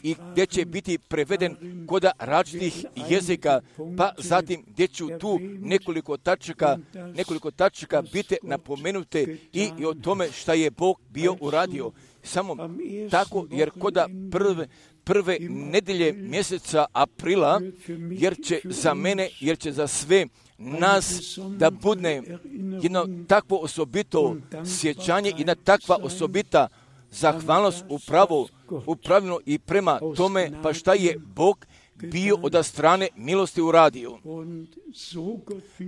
i gdje će biti preveden koda različitih jezika, pa zatim gdje ću tu nekoliko tačaka, nekoliko tačaka biti napomenute i, i o tome šta je Bog bio uradio. Samo tako, jer koda prve, prve nedelje mjeseca aprila, jer će za mene, jer će za sve nas da bude jedno takvo osobito sjećanje, jedna takva osobita zahvalnost upravo, upravljeno i prema tome, pa šta je Bog bio od strane milosti uradio.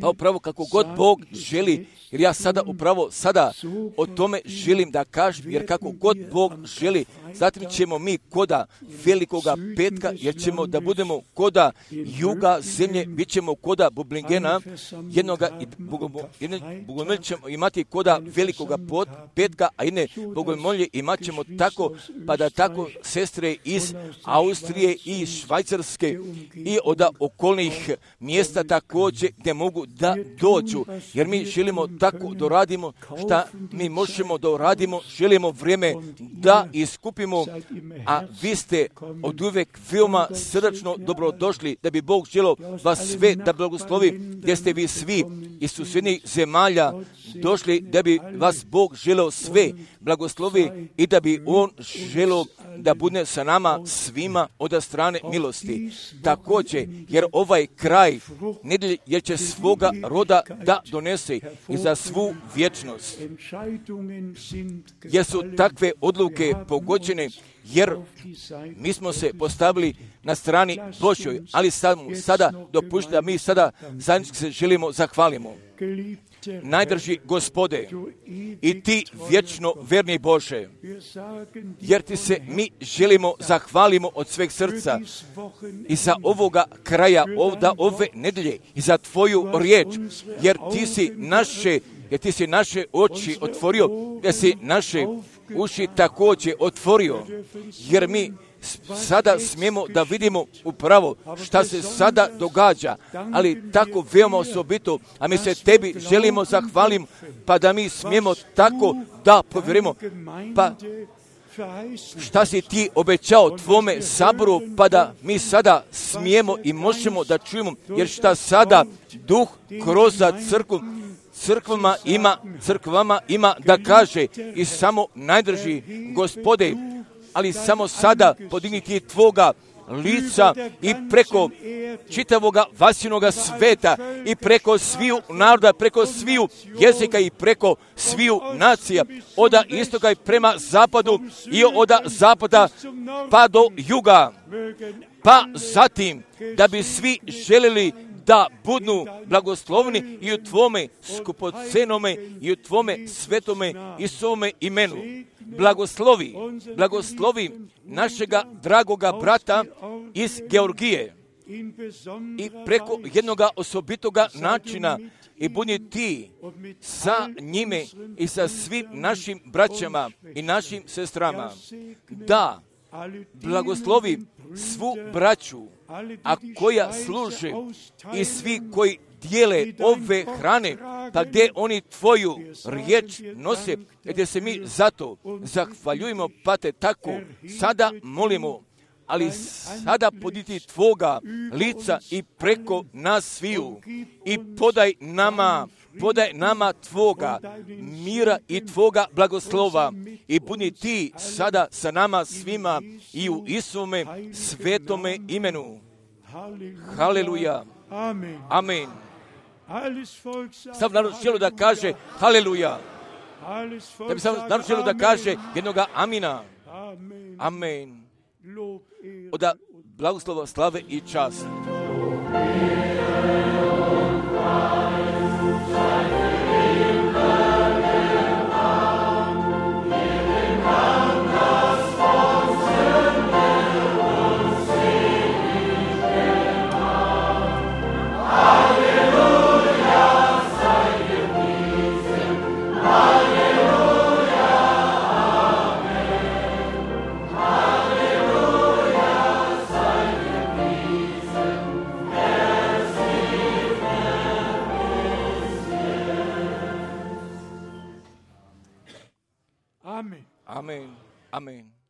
Pa upravo kako god Bog želi, jer ja sada upravo sada o tome želim da kažem, jer kako god Bog želi, zatim ćemo mi koda velikoga petka, jer ćemo da budemo koda juga zemlje, bit ćemo koda Bublingena, jednoga bogomolje ćemo imati koda velikoga petka, a jedne bogomolje imat ćemo tako, pa da tako sestre iz Austrije i Švajcarske Hrvatske i od okolnih mjesta također gdje mogu da dođu. Jer mi želimo tako da radimo šta mi možemo da radimo, želimo vrijeme da iskupimo, a vi ste od uvijek veoma srdačno dobrodošli, da bi Bog želio vas sve da blagoslovi, gdje ste vi svi iz susjednih zemalja došli, da bi vas Bog želio sve blagoslovi i da bi On želio da bude sa nama svima od strane milosti. Također, jer ovaj kraj nedelje jer će svoga roda da donese i za svu vječnost. Jer su takve odluke pogođene, jer mi smo se postavili na strani Božjoj, ali sad, sada dopušta da mi sada zajednički se želimo zahvalimo. Najdrži Gospode i ti vječno verni Bože, jer ti se mi želimo zahvalimo od sveg srca i za ovoga kraja, ovda, ove nedelje i za tvoju riječ, jer ti si naše, jer ti si naše oči otvorio, jer si naše uši također otvorio, jer mi sada smijemo da vidimo upravo šta se sada događa, ali tako veoma osobito, a mi se tebi želimo zahvalim, pa da mi smijemo tako da povjerimo, pa šta si ti obećao tvome saboru, pa da mi sada smijemo i možemo da čujemo, jer šta sada duh kroz crkvu crkvama ima, crkvama ima da kaže i samo najdrži Gospode, ali samo sada podigniti tvoga lica i preko čitavoga vasinoga sveta i preko sviju naroda, preko sviju jezika i preko sviju nacija, od istoka i prema zapadu i od zapada pa do juga, pa zatim da bi svi želeli da budu blagoslovni i u tvome skupocenome i u tvome svetome i svome imenu. Blagoslovi, blagoslovi našega dragoga brata iz Georgije i preko jednoga osobitoga načina i budi ti sa njime i sa svim našim braćama i našim sestrama. Da blagoslovi svu braću, a koja služe i svi koji dijele ove hrane, pa gdje oni tvoju riječ nose, gdje se mi zato zahvaljujemo, pa te tako sada molimo, ali sada poditi tvoga lica i preko nas sviju i podaj nama, podaj nama tvoga mira i tvoga blagoslova i budi ti sada sa nama svima i u Isuvome svetome imenu. Haleluja. Amen. Sav narod želi da kaže haleluja. Da bi sav narod želi da kaže jednoga amina. Amen. Od blagoslova, slave i čast. Amen. Amen.